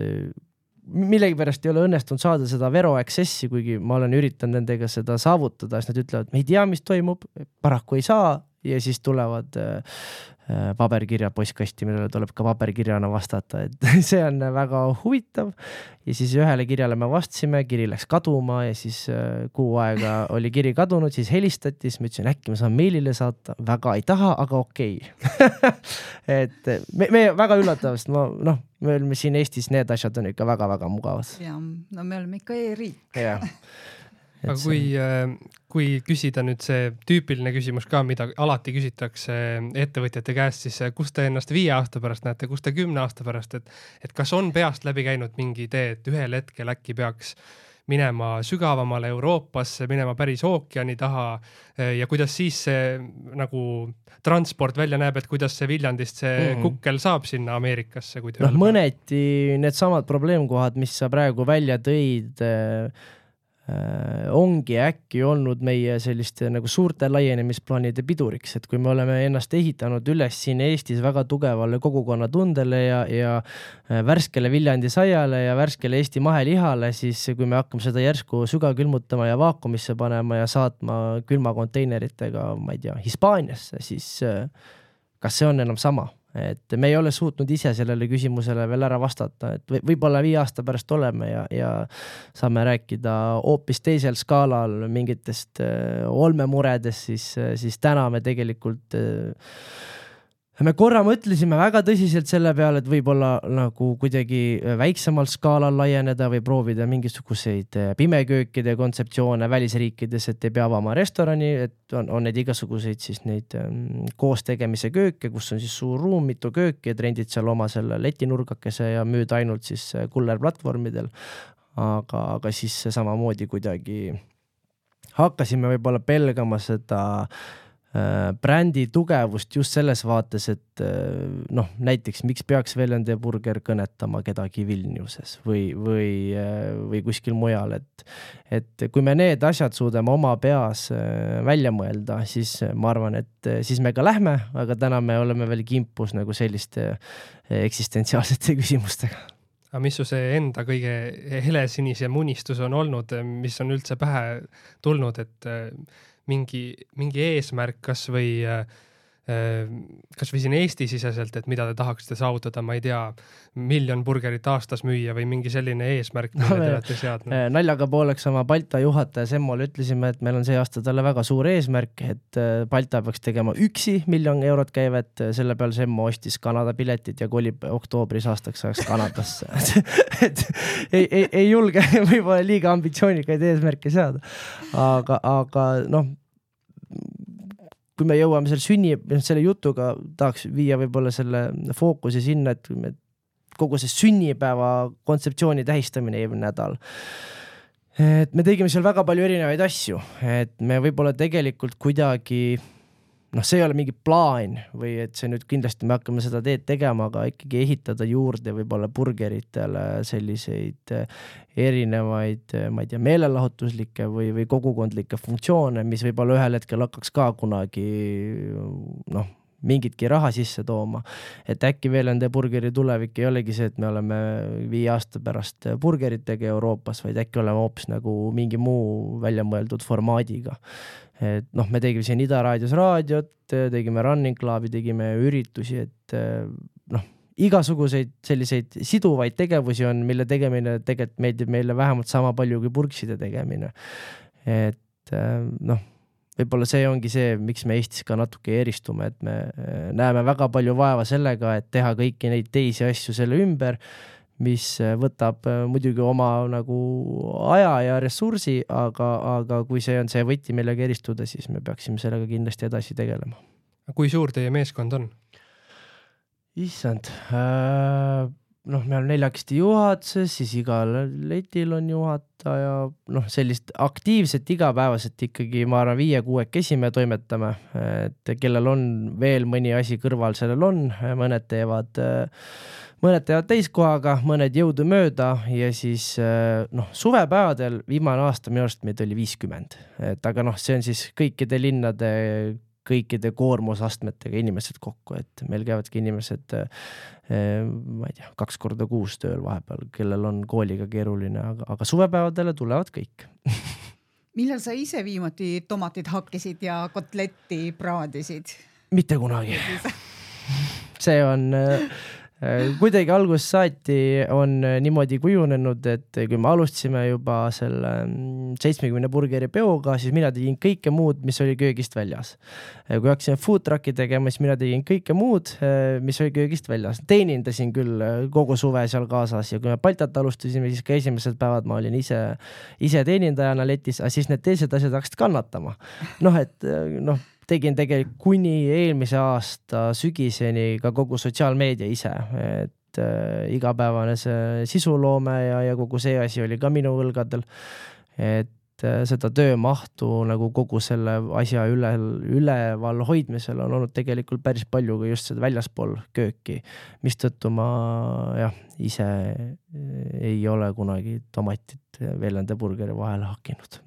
millegi pärast ei ole õnnestunud saada seda Vero Accessi, kuigi ma olen üritanud nendega seda saavutada, siis nad ütlevad, me ei tea, mis toimub, paraku ei saa ja siis tulevad paberkirja postkasti, millele tuleb ka paberkirjana vastata, et see on väga huvitav ja siis ühele kirjale me vastasime, kiri läks kaduma ja siis kuu aega oli kiri kadunud, siis helistati, siis ma ütlesin, äkki ma saan meilile saata, väga ei taha, aga okei. et me, me väga üllatavast, ma, noh, me oleme siin Eestis, need asjad on ikka väga-väga mugavad. Ja, no me oleme ikka e-riik. Jah. Aga kui, kui küsida nüüd see tüüpiline küsimus ka, mida alati küsitakse ettevõtjate käest, siis kus te ennast viie aasta pärast näete, kus te kümne aasta pärast, et, et kas on peast läbi käinud mingi idee, et ühel hetkel äkki peaks minema sügavamale Euroopasse, minema päris ookeani taha ja kuidas siis see nagu transport välja näeb, et kuidas see Viljandist see mm-hmm. kukkel saab sinna Ameerikasse? Kui noh, mõneti need samad probleemkohad, mis sa praegu välja tõid, ongi äkki olnud meie selliste nagu suurte laienemisplaanide piduriks, et kui me oleme ennast ehitanud üles siin Eestis väga tugevale kogukonnatundele ja, ja värskele Viljandi saiale ja värskele Eesti mahelihale, siis kui me hakkame seda järsku sügavkülmutama ja vaakumisse panema ja saatma külmakonteineritega, ma ei tea, Hispaaniasse, siis kas see on enam sama? Et me ei ole suutnud ise sellele küsimusele veel ära vastata, et võib-olla viie aasta pärast oleme ja, ja saame rääkida hoopis teisel skaalal mingitest olmemuredest, siis, siis täna me tegelikult me korra mõtlesime väga tõsiselt selle peale, et võib-olla nagu kuidagi väiksemal skaalal laieneda või proovida mingisuguseid pimeköökide kontseptsioone välisriikides, et ei pea avama restorani, et on, on need igasuguseid siis neid koos tegemise kööke, kus on siis suur ruum, mitu kööki, et rendid seal oma selle letinurgakese ja müüd ainult siis kullerplatvormidel. Aga, aga siis samamoodi kuidagi hakkasime võib-olla pelgama seda brändi tugevust just selles vaates, et noh, näiteks miks peaks Velende burger kõnetama kedagi Vilniuses või, või, või kuskil mujal, et, et kui me need asjad suudame oma peas välja mõelda, siis ma arvan, et siis me ka lähme, aga täna me oleme veel kimpus nagu selliste eksistentsiaalsete küsimustega. Aga mis su see enda kõige helesinisem unistus on olnud, mis on üldse pähe tulnud, et mingi, mingi eesmärk kas või kas või siin Eesti siseselt, et mida te tahaksite saavutada, ma ei tea, miljon burgerit aastas müüa või mingi selline eesmärk, mille no, te olete seadnud? Naljaga pooleks oma Balta juhataja Semmole ütlesime, et meil on see aasta talle väga suur eesmärk, et Balta peaks tegema üksi miljon eurot käivet, selle peal Semmo ostis Kanada piletit ja kolib oktoobris aastaks ajaks Kanadasse. et ei, ei, ei julge võib-olla liiga ambitsioonikaid eesmärke seada, aga, aga noh, kui me jõuame selle sünni, selle jutuga tahaks viia võib-olla selle fookuse sinna, et me kogu see sünnipäeva kontseptsiooni tähistamine eelmine nädal. Et me tegime seal väga palju erinevaid asju, et me võib-olla tegelikult kuidagi, noh, see ei ole mingi plaan või et see nüüd kindlasti me hakkame seda teed tegema, aga ikkagi ehitada juurde võib-olla burgeritele selliseid erinevaid, ma ei tea, meelelahutuslikke või, või kogukondlikke funktsioone, mis võib-olla ühel hetkel hakkaks ka kunagi, noh, mingitki raha sisse tooma. Et äkki veel ende burgeri tulevik ei olegi see, et me oleme viie aasta pärast burgeritega Euroopas, vaid äkki oleme hoopis nagu mingi muu välja mõeldud formaadiga. Et noh, me tegime siin Ida raadios raadiot, tegime Running Clubi, tegime üritusi, et noh, igasuguseid selliseid siduvaid tegevusi on, mille tegemine tegelikult meeldib meile vähemalt sama palju kui purkside tegemine. Et noh, võib-olla see ongi see, miks me Eestis ka natuke eristume, et me näeme väga palju vaeva sellega, et teha kõiki neid teisi asju selle ümber, mis võtab muidugi oma nagu aja ja ressursi, aga, aga kui see on see võti millega eristuda, siis me peaksime sellega kindlasti edasi tegelema. Kui suur teie meeskond on? Issand, noh, me oleme neljakesti juhatuses, siis igal letil on juhataja, noh, sellist aktiivset igapäevaselt ikkagi, ma arvan, viie-kuuekesi me toimetame, et kellel on veel mõni asi kõrval, sellel on, mõned teevad, mõned teevad täiskohaga, mõned jõudu mööda ja siis, noh, suvepäevadel viimane aasta minu arust meid oli viiskümmend, et aga noh, see on siis kõikide linnade kõikide koormusastmetega inimesed kokku, et meil käivadki inimesed, ma ei tea, kaks korda kuus tööl vahepeal, kellel on kooliga keeruline, aga, aga suvepäevadele tulevad kõik. Millal sa ise viimati tomatid hakkisid ja kotletti praadisid? Mitte kunagi. See on... Kuidagi alguses saati on niimoodi kujunenud, et kui me alustasime juba selle seitsmekümne burgeri peoga, siis mina tegin kõike muud, mis oli köögist väljas. Kui hakkasime food trucki tegema, siis mina tegin kõike muud, mis oli köögist väljas. Teenindasin küll kogu suve seal kaasas ja kui me Baltat alustasime, siis ka esimesed päevad ma olin ise, ise teenindajana letis, aga siis need teised asjad hakkasid kannatama. Noh, et noh, tegin tegelikult kuni eelmise aasta sügiseni ka kogu sotsiaalmeedia ise, et äh, igapäevane see sisuloome ja, ja kogu see asi oli ka minu õlgadel, et äh, seda töömahtu nagu kogu selle asja üle, üleval hoidmisel on olnud tegelikult päris palju ka just seda väljaspool kööki, mistõttu ma jah, ise ei ole kunagi tomatit veel enda burgeri vahele hakkinud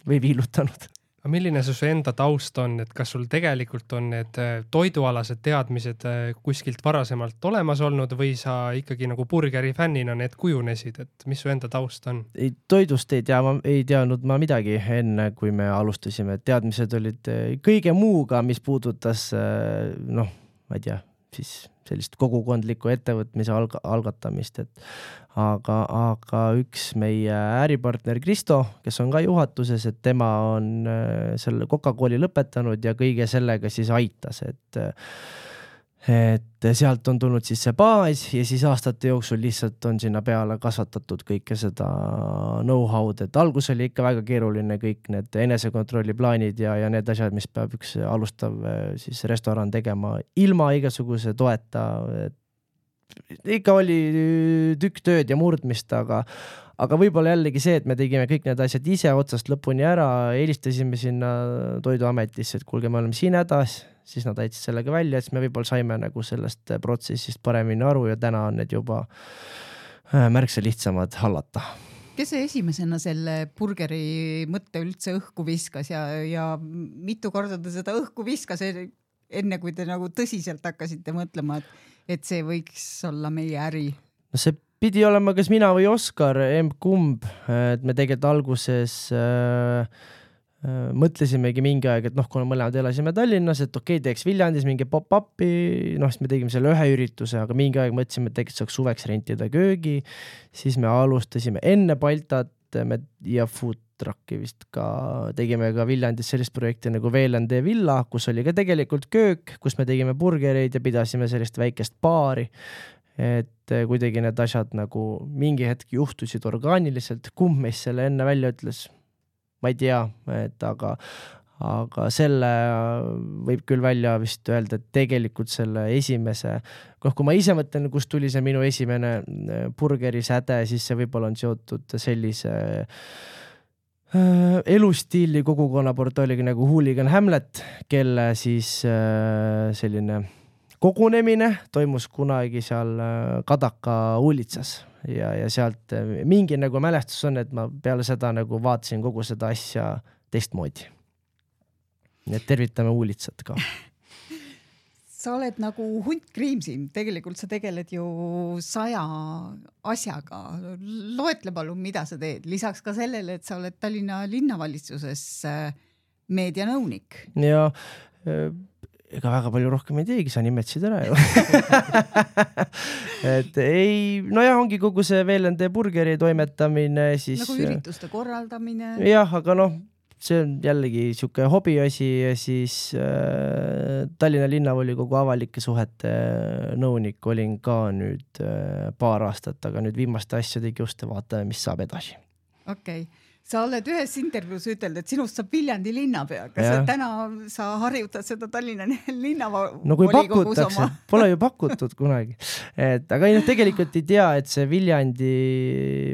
või viilutanud. Aga milline see su enda taust on, et kas sul tegelikult on need toidualased teadmised kuskilt varasemalt olemas olnud või sa ikkagi nagu burgeri fännina need kujunesid, et mis su enda taust on? Ei, toidust ei tea, ma ei teadnud ma midagi enne, kui me alustasime. Teadmised olid kõige muuga, mis puudutas, noh, ma ei tea, siis sellist kogukondlikku ettevõtmise alg- algatamist, et aga, aga üks meie äripartner Kristo, kes on ka juhatuses, et tema on selle Coca-Cooli lõpetanud ja kõige sellega siis aitas, et et sealt on tulnud siis see baas ja siis aastate jooksul lihtsalt on sinna peale kasvatatud kõike seda know-how'd, et algus oli ikka väga keeruline kõik need enesekontrolli plaanid ja, ja need asjad, mis peab üks alustav siis restoran tegema ilma igasuguse toeta, et ikka oli tükk tööd ja murdmist, aga aga võib-olla jällegi see, et me tegime kõik need asjad ise otsast lõpuni ära, helistasime sinna Toiduametisse, et kuulge, me oleme siin hädas, siis nad aitasid sellega välja, et me võib-olla saime nagu sellest protsessist paremini aru ja täna on need juba märksa lihtsamad hallata. Kes see esimesena selle burgeri mõtte üldse õhku viskas ja, ja mitu korda ta seda õhku viskas, enne kui te nagu tõsiselt hakkasite mõtlema, et, et see võiks olla meie äri? No see pidi olema kas mina või Oskar, emb-kumb, et me tegelikult alguses äh, mõtlesimegi mingi aeg, et noh, kuna mõlemad elasime Tallinnas, et okei, teeks Viljandis mingi pop-upi, noh, siis me tegime selle ühe ürituse, aga mingi aeg mõtlesime, et tegelikult saaks suveks rentida köögi, siis me alustasime enne Baltat me, ja food trucki vist ka, tegime ka Viljandis sellist projekti nagu V L N D Villa, kus oli ka tegelikult köök, kus me tegime burgereid ja pidasime sellist väikest baari, et kuidagi need asjad nagu mingi hetk juhtusid orgaaniliselt, kumb meist selle enne välja ütles, ma ei tea, et aga, aga selle võib küll välja vist öelda, et tegelikult selle esimese, noh, kui ma ise mõtlen, kust tuli see minu esimene burgeri säde, siis see võib-olla on seotud sellise äh, elustiili kogukonna portaaliga nagu Hooligan Hamlet, kelle siis äh, selline kogunemine toimus kunagi seal Kadaka uulitsas ja, ja sealt mingi nagu mälestus on, et ma peale seda nagu vaatasin kogu seda asja teistmoodi. Nii et tervitame uulitsat ka. Sa oled nagu hunt kriimsim, tegelikult sa tegeled ju saja asjaga. Loetle palun, mida sa teed, lisaks ka sellele, et sa oled Tallinna linnavalitsuses meedianõunik. Ja ega väga palju rohkem ei teegi, sa nimetsid ära ju. et ei, no jah, ongi kogu see V L N D burgeri toimetamine, siis nagu ürituste korraldamine. Jah, aga noh, see on jällegi siuke hobiasi ja siis äh, Tallinna linnavolikogu avalike suhete nõunik olin ka nüüd äh, paar aastat, aga nüüd viimaste asjadegi just vaatame, mis saab edasi. Okei. Okay. Sa oled ühes intervjuus ütelnud, et sinust saab Viljandi linnapea. Kas ja. Täna sa harjutad seda Tallinna linnavolikogus no kui pakutakse, oma? Pole ju pakutud kunagi. Et, aga ei, no, tegelikult ei tea, et see Viljandi,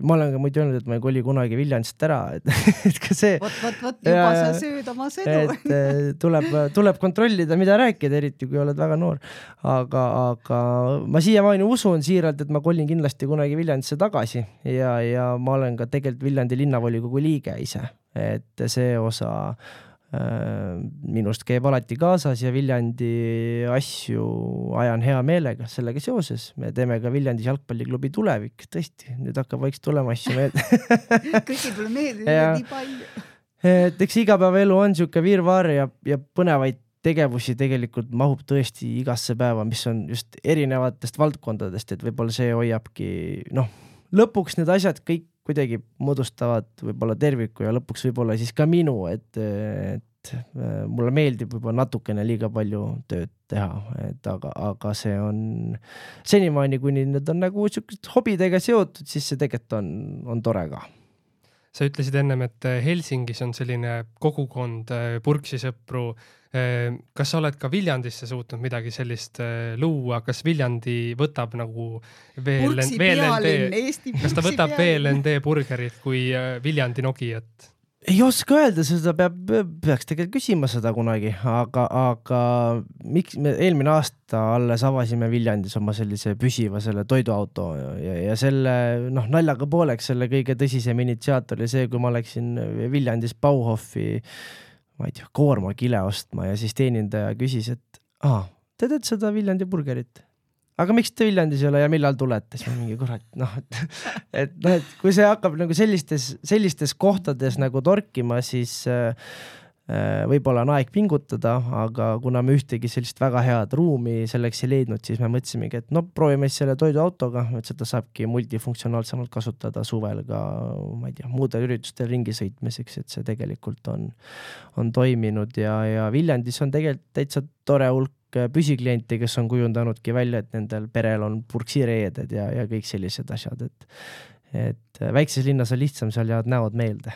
ma olen ka muidu öelnud, et ma ei koli kunagi Viljandist ära. Et, et ka see... Vot, vot, vot, juba ja, sa sööd oma sõdu. Et tuleb, tuleb kontrollida, mida rääkida, eriti kui oled väga noor. Aga, aga ma siiamaani usun siiralt, et ma kolin kindlasti kunagi Viljandisse tagasi ja, ja ma olen ka tegelikult Viljandi linnavolikogu liige ise, et see osa äh, minust käib alati kaasas ja Viljandi asju ajan hea meelega sellega seoses. Me teeme ka Viljandis jalgpalliklubi Tulevik, tõesti, nüüd hakkab vaikselt tulema asju meelde. Kõiki tule meelde, nii palju. Et eks igapäevaelu on siuke virvaar ja, ja põnevaid tegevusi tegelikult mahub tõesti igasse päeva, mis on just erinevatest valdkondadest, et võib-olla see hoiabki, noh, lõpuks need asjad kõik kuidagi moodustavad võib-olla terviku ja lõpuks võib-olla siis ka minu, et, et mulle meeldib võib-olla natukene liiga palju tööd teha, et aga, aga see on senimaani, kuni need on nagu hobidega seotud, siis see tegelikult on, on tore ka. Sa ütlesid ennem, et Helsingis on selline kogukond purksisõpru. Kas sa oled ka Viljandisse suutnud midagi sellist luua? Kas Viljandi võtab nagu V L N D, kas ta võtab V L N D burgerit kui Viljandi Nogijat? Ei oska öelda, seda peab, peaks tegelikult küsima seda kunagi, aga, aga miks me eelmine aasta alles avasime Viljandis oma sellise püsiva selle toiduauto ja, ja selle noh, naljaga pooleks selle kõige tõsisem initsiaator oli see, kui ma läksin Viljandis Bauhofi ma ei tea, koormakile ostma ja siis teenindaja küsis, et aa, te teed seda Viljandi burgerit? Aga miks te Viljandis ei ole ja millal tulete? Siis ma mingi kurat, noh, et, et, no, et kui see hakkab nagu sellistes, sellistes kohtades nagu torkima, siis äh, võib-olla on aeg pingutada, aga kuna me ühtegi sellist väga head ruumi selleks ei leidnud, siis me mõtlesimegi, et no proovime selle toiduautoga, et seda saabki multifunktsionaalsemalt kasutada suvel ka, ma ei tea, muudel üritustel ringi sõitmiseks, et see tegelikult on, on toiminud ja, ja Viljandis on tegelikult täitsa tore hulk püsikliente, kes on kujundanudki välja, et nendel perel on purksireeded ja, ja kõik sellised asjad, et, et väikses linnas on lihtsam, seal jäävad näod meelde.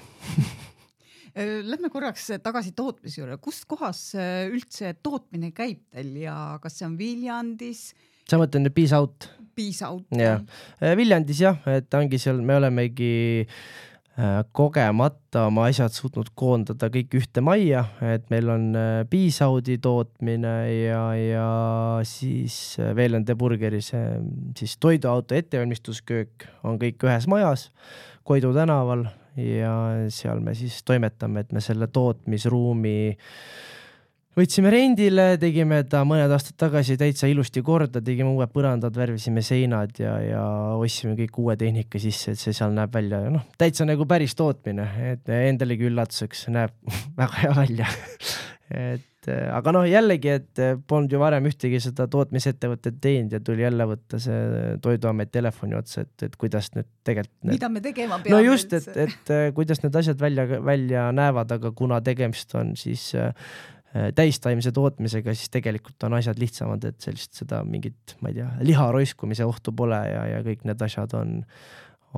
Lähme korraks tagasi tootmise juurde. Kust kohas üldse tootmine käib teil ja kas see on Viljandis? Sa mõtlen nüüd Peace Out? Peace Out. Ja. Viljandis jah, et ongi seal, me olemegi kogemata oma asjad suutnud koondada kõik ühte majja, et meil on Peace Outi tootmine ja, ja siis V L N D burgeri see siis toiduauto ettevalmistusköök on kõik ühes majas Koidu tänaval ja seal me siis toimetame, et me selle tootmisruumi võtsime rendile, tegime ta mõned aastad tagasi täitsa ilusti korda, tegime uued põrandad, värvisime seinad ja, ja ostsime kõik uue tehnika sisse, et see seal näeb välja. Noh, täitsa nagu päris tootmine, et endalegi üllatuseks näeb väga hea välja. et, aga noh, jällegi, et polnud ju varem ühtegi seda tootmisettevõtet teinud ja tuli jälle võtta see Toiduamet telefoni otsa, et, et kuidas nüüd tegelikult... Need... Mida me tegema peame? No just, et, et kuidas need asjad välja, välja näevad, aga kuna tegemist on siis... täistaimse tootmisega, siis tegelikult on asjad lihtsamad, et sellist seda mingit, ma ei tea, liha roiskumise ohtu pole ja, ja kõik need asjad on,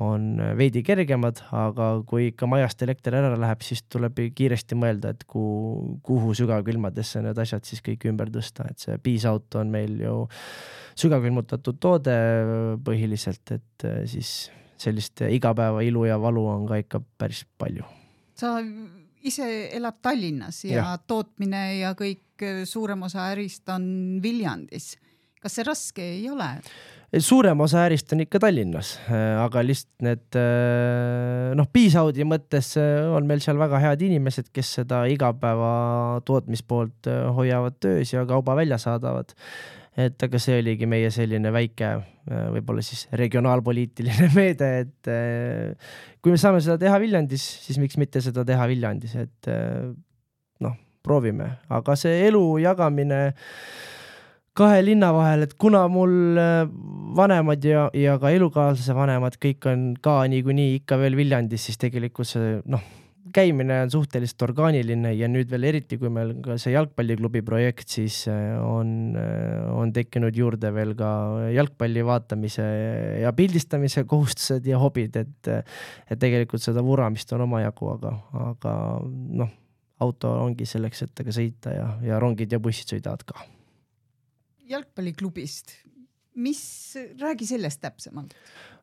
on veidi kergemad, aga kui ikka majast elekter ära läheb, siis tuleb kiiresti mõelda, et kuhu, kuhu sügavkülmadesse need asjad siis kõik ümber tõsta, et see piisauto on meil ju sügavkülmutatud toode põhiliselt, et siis sellist igapäeva ilu ja valu on ka ikka päris palju. Sa ise elad Tallinnas ja, ja tootmine ja kõik suurem osa ärist on Viljandis. Kas see raske ei ole? Suurem osa ärist on ikka Tallinnas, aga lihtsalt need noh, Piisaudi mõttes on meil seal väga head inimesed, kes seda igapäeva tootmispoolt hoiavad töös ja kauba välja saadavad. Et aga see oligi meie selline väike võib-olla siis regionaalpoliitiline meede, et kui me saame seda teha Viljandis, siis miks mitte seda teha Viljandis, et noh, proovime. Aga see elu jagamine kahe linna vahel, et kuna mul vanemad ja, ja ka elukaaslase vanemad kõik on ka niikuinii ikka veel Viljandis, siis tegelikult see noh, käimine on suhteliselt orgaaniline ja nüüd veel eriti, kui meil ka see jalgpalliklubi projekt, siis on, on tekkinud juurde veel ka jalgpalli vaatamise ja pildistamise kohustused ja hobid, et, et tegelikult seda vuramist on omajagu, aga, aga noh, auto ongi selleks, et aga sõita ja, ja rongid ja bussid sõidavad ka. Jalgpalliklubist, mis, räägi sellest täpsemalt?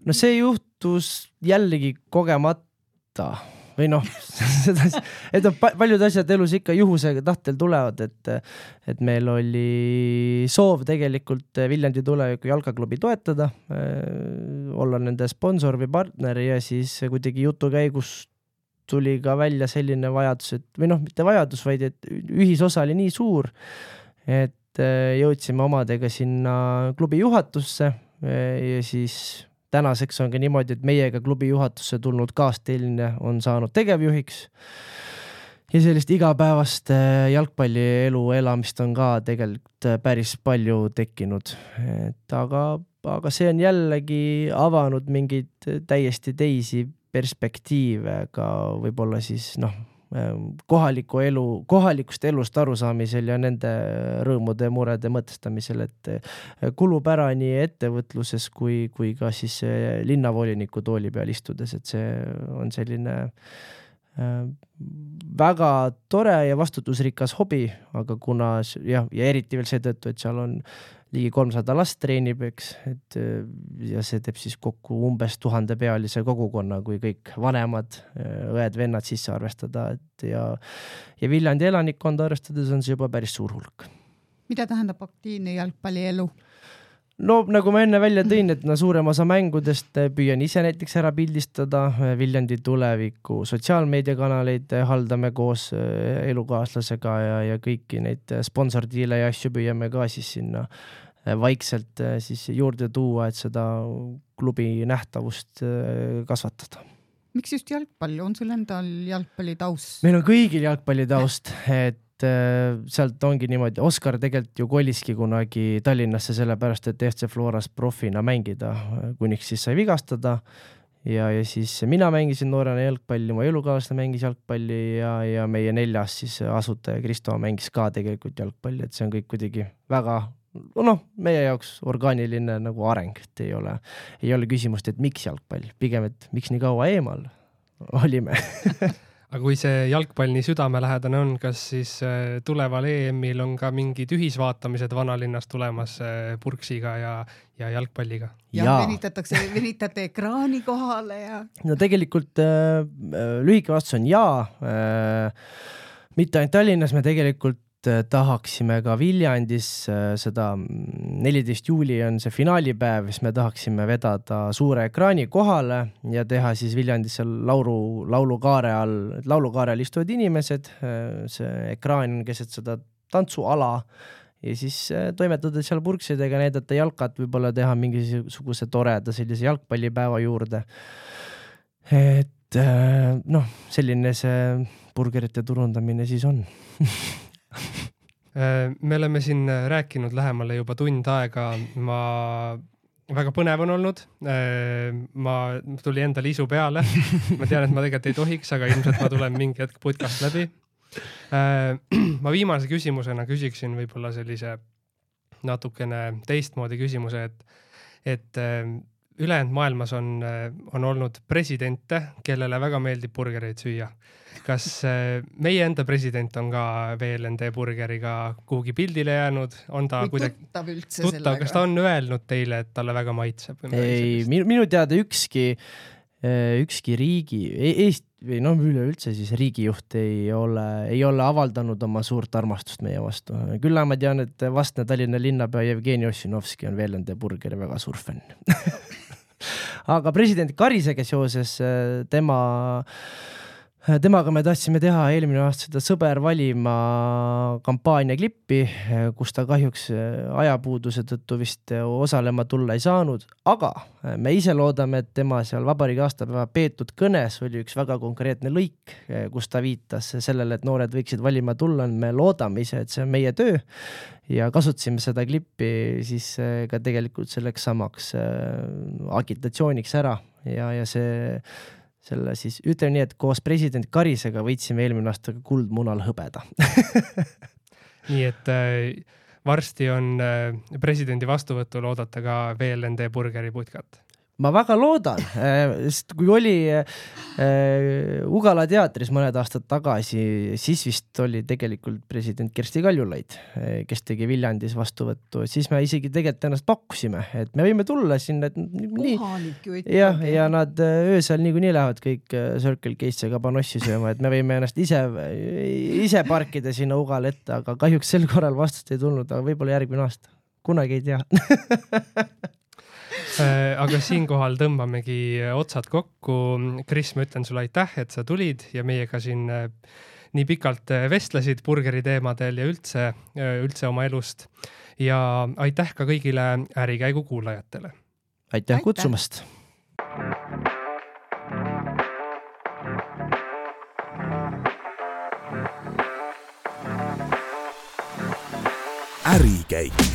No see juhtus jällegi kogemata või noh, et on paljud asjad elus ikka juhusega tahtel tulevad, et, et meil oli soov tegelikult Viljandi tuleviku jalgaklubi toetada, olla nende sponsor või partner ja siis kuidagi jutu käigus tuli ka välja selline vajadus, et, või noh, mitte vajadus, vaid et ühisosa oli nii suur, et jõudsime omadega sinna klubi juhatusse ja siis tänaseks on ka niimoodi, et meiega klubi juhatusse tulnud kaasteline on saanud tegevjuhiks ja sellist igapäevast jalgpallielu elamist on ka tegelikult päris palju tekkinud. Et aga, aga see on jällegi avanud mingeid täiesti teisi perspektiive ka võib-olla siis noh, kohaliku elu, kohalikust elust arusaamisel ja nende rõõmude ja murede mõtestamisel, et kulub ära nii ettevõtluses kui, kui ka siis linnavoliniku tooli peal istudes, et see on selline väga tore ja vastutusrikas hobi, aga kuna ja, ja eriti veel seetõttu, et seal on ligi kolmsada last treenib, eks, et ja see teeb siis kokku umbes tuhande pealise kogukonna, kui kõik vanemad, õed, vennad sisse arvestada, et ja, ja Viljandi elanikkonda arvestades on see juba päris suur hulk. Mida tähendab aktiivne jalgpallielu? No nagu ma enne välja tõin, et no suurem osa mängudest püüan ise näiteks ära pildistada, Viljandi tuleviku sotsiaalmeediakanaleid haldame koos elukaaslasega ja, ja kõiki neid sponsordiile ja asju püüame ka siis sinna vaikselt siis juurde tuua, et seda klubi nähtavust kasvatada. Miks just jalgpall? On sul endal jalgpalli taust? Meil on kõigil jalgpalli taust, et sealt ongi niimoodi, Oskar tegelikult ju koliski kunagi Tallinnasse sellepärast, et F C Floras profina mängida, kuniks siis sai vigastada ja, ja siis mina mängisin noorena jalgpalli, mu elukaaslane mängis jalgpalli ja, ja meie neljas siis asutaja Kristo mängis ka tegelikult jalgpalli, et see on kõik kuidagi väga noh, meie jaoks orgaaniline nagu areng, et ei ole, ei ole küsimust, et miks jalgpall, pigem, et miks nii kaua eemal olime. Aga kui see jalgpall nii südamelähedane on, kas siis tuleval E M-il on ka mingid ühisvaatamised vanalinnas tulemas purksiga ja, ja jalgpalliga? Ja, ja venitatakse, venitate ekraani kohale ja... No tegelikult äh, lühike vastus on jaa. Äh, mitte ainult Tallinnas, me tegelikult tahaksime ka Viljandis seda neliteist juuli on see finaalipäev, siis me tahaksime vedada suure ekraani kohale ja teha siis Viljandis laulu, laulukaare all, laulukaare all istuvad inimesed, see ekraan on keset seda tantsuala ja siis toimetada seal purksidega, näidata jalkat, võib-olla teha mingisuguse toreda sellise jalgpallipäeva juurde. Et noh, selline see burgerite turundamine siis on. Me oleme siin rääkinud lähemale juba tund aega, ma väga põnev on olnud, ma tuli endal isu peale, ma tean, et ma tegelikult ei tohiks, aga ilmselt ma tulen mingi hetk podcast läbi. Ma viimase küsimusena küsiksin võib-olla sellise natukene teistmoodi küsimuse, et, et ülejäänud maailmas on, on olnud presidente, kellele väga meeldib burgereid süüa. Kas meie enda president on ka V L N D burgeriga kuhugi pildile jäänud? On ta või kuidagi tuttav üldse tuttav, sellega? kas ta on öelnud teile, et talle väga maitseb? Ei, minu, minu teada ükski, ükski riigi, Eest, või no üleüldse siis riigijuht ei ole, ei ole avaldanud oma suurt armastust meie vastu. Küll ma tean, et vastne Tallinna linnapea Jevgeni Ossinovski on V L N D burgeri väga suur fänn. Aga president Karisega seoses tema Temaga me tahtsime teha eelmine aasta seda sõber valima kampaania klippi, kus ta kahjuks ajapuuduse tõttu vist osalema tulla ei saanud, aga me ise loodame, et tema seal vabariigi aastapäeva peetud kõnes oli üks väga konkreetne lõik, kus ta viitas sellele, et noored võiksid valima tulla. Me loodame ise, et see on meie töö ja kasutasime seda klippi siis ka tegelikult selleks samaks agitatsiooniks ära ja, ja see selle siis ütleme nii, et koos president Karisega võitsime eelmine aasta kuldmunal hõbeda. Nii et äh, varsti on äh, presidendi vastuvõtul oodata ka V L N D burgeri putkat. Ma väga loodan, sest kui oli Ugala teatris mõned aastad tagasi, siis vist oli tegelikult president Kersti Kaljulaid, kes tegi Viljandis vastuvõttu, siis me isegi tegelikult ennast pakkusime, et me võime tulla sinna, et nii, ja, ja nad öösel niikuinii lähevad kõik Circle K'sse kabanossi sööma, et me võime ennast ise, ise parkida sinna Ugala ette, aga kahjuks sel korral vastust ei tulnud, aga võib-olla järgmine aasta, kunagi ei tea. Aga siinkohal tõmbamegi otsad kokku. Kris, ma ütlen sulle aitäh, et sa tulid ja meiega siin nii pikalt vestlesid burgeri teemadel ja üldse, üldse oma elust. Ja aitäh ka kõigile Ärikäigu kuulajatele. Aitäh, aitäh. Kutsumast! Ärikäik.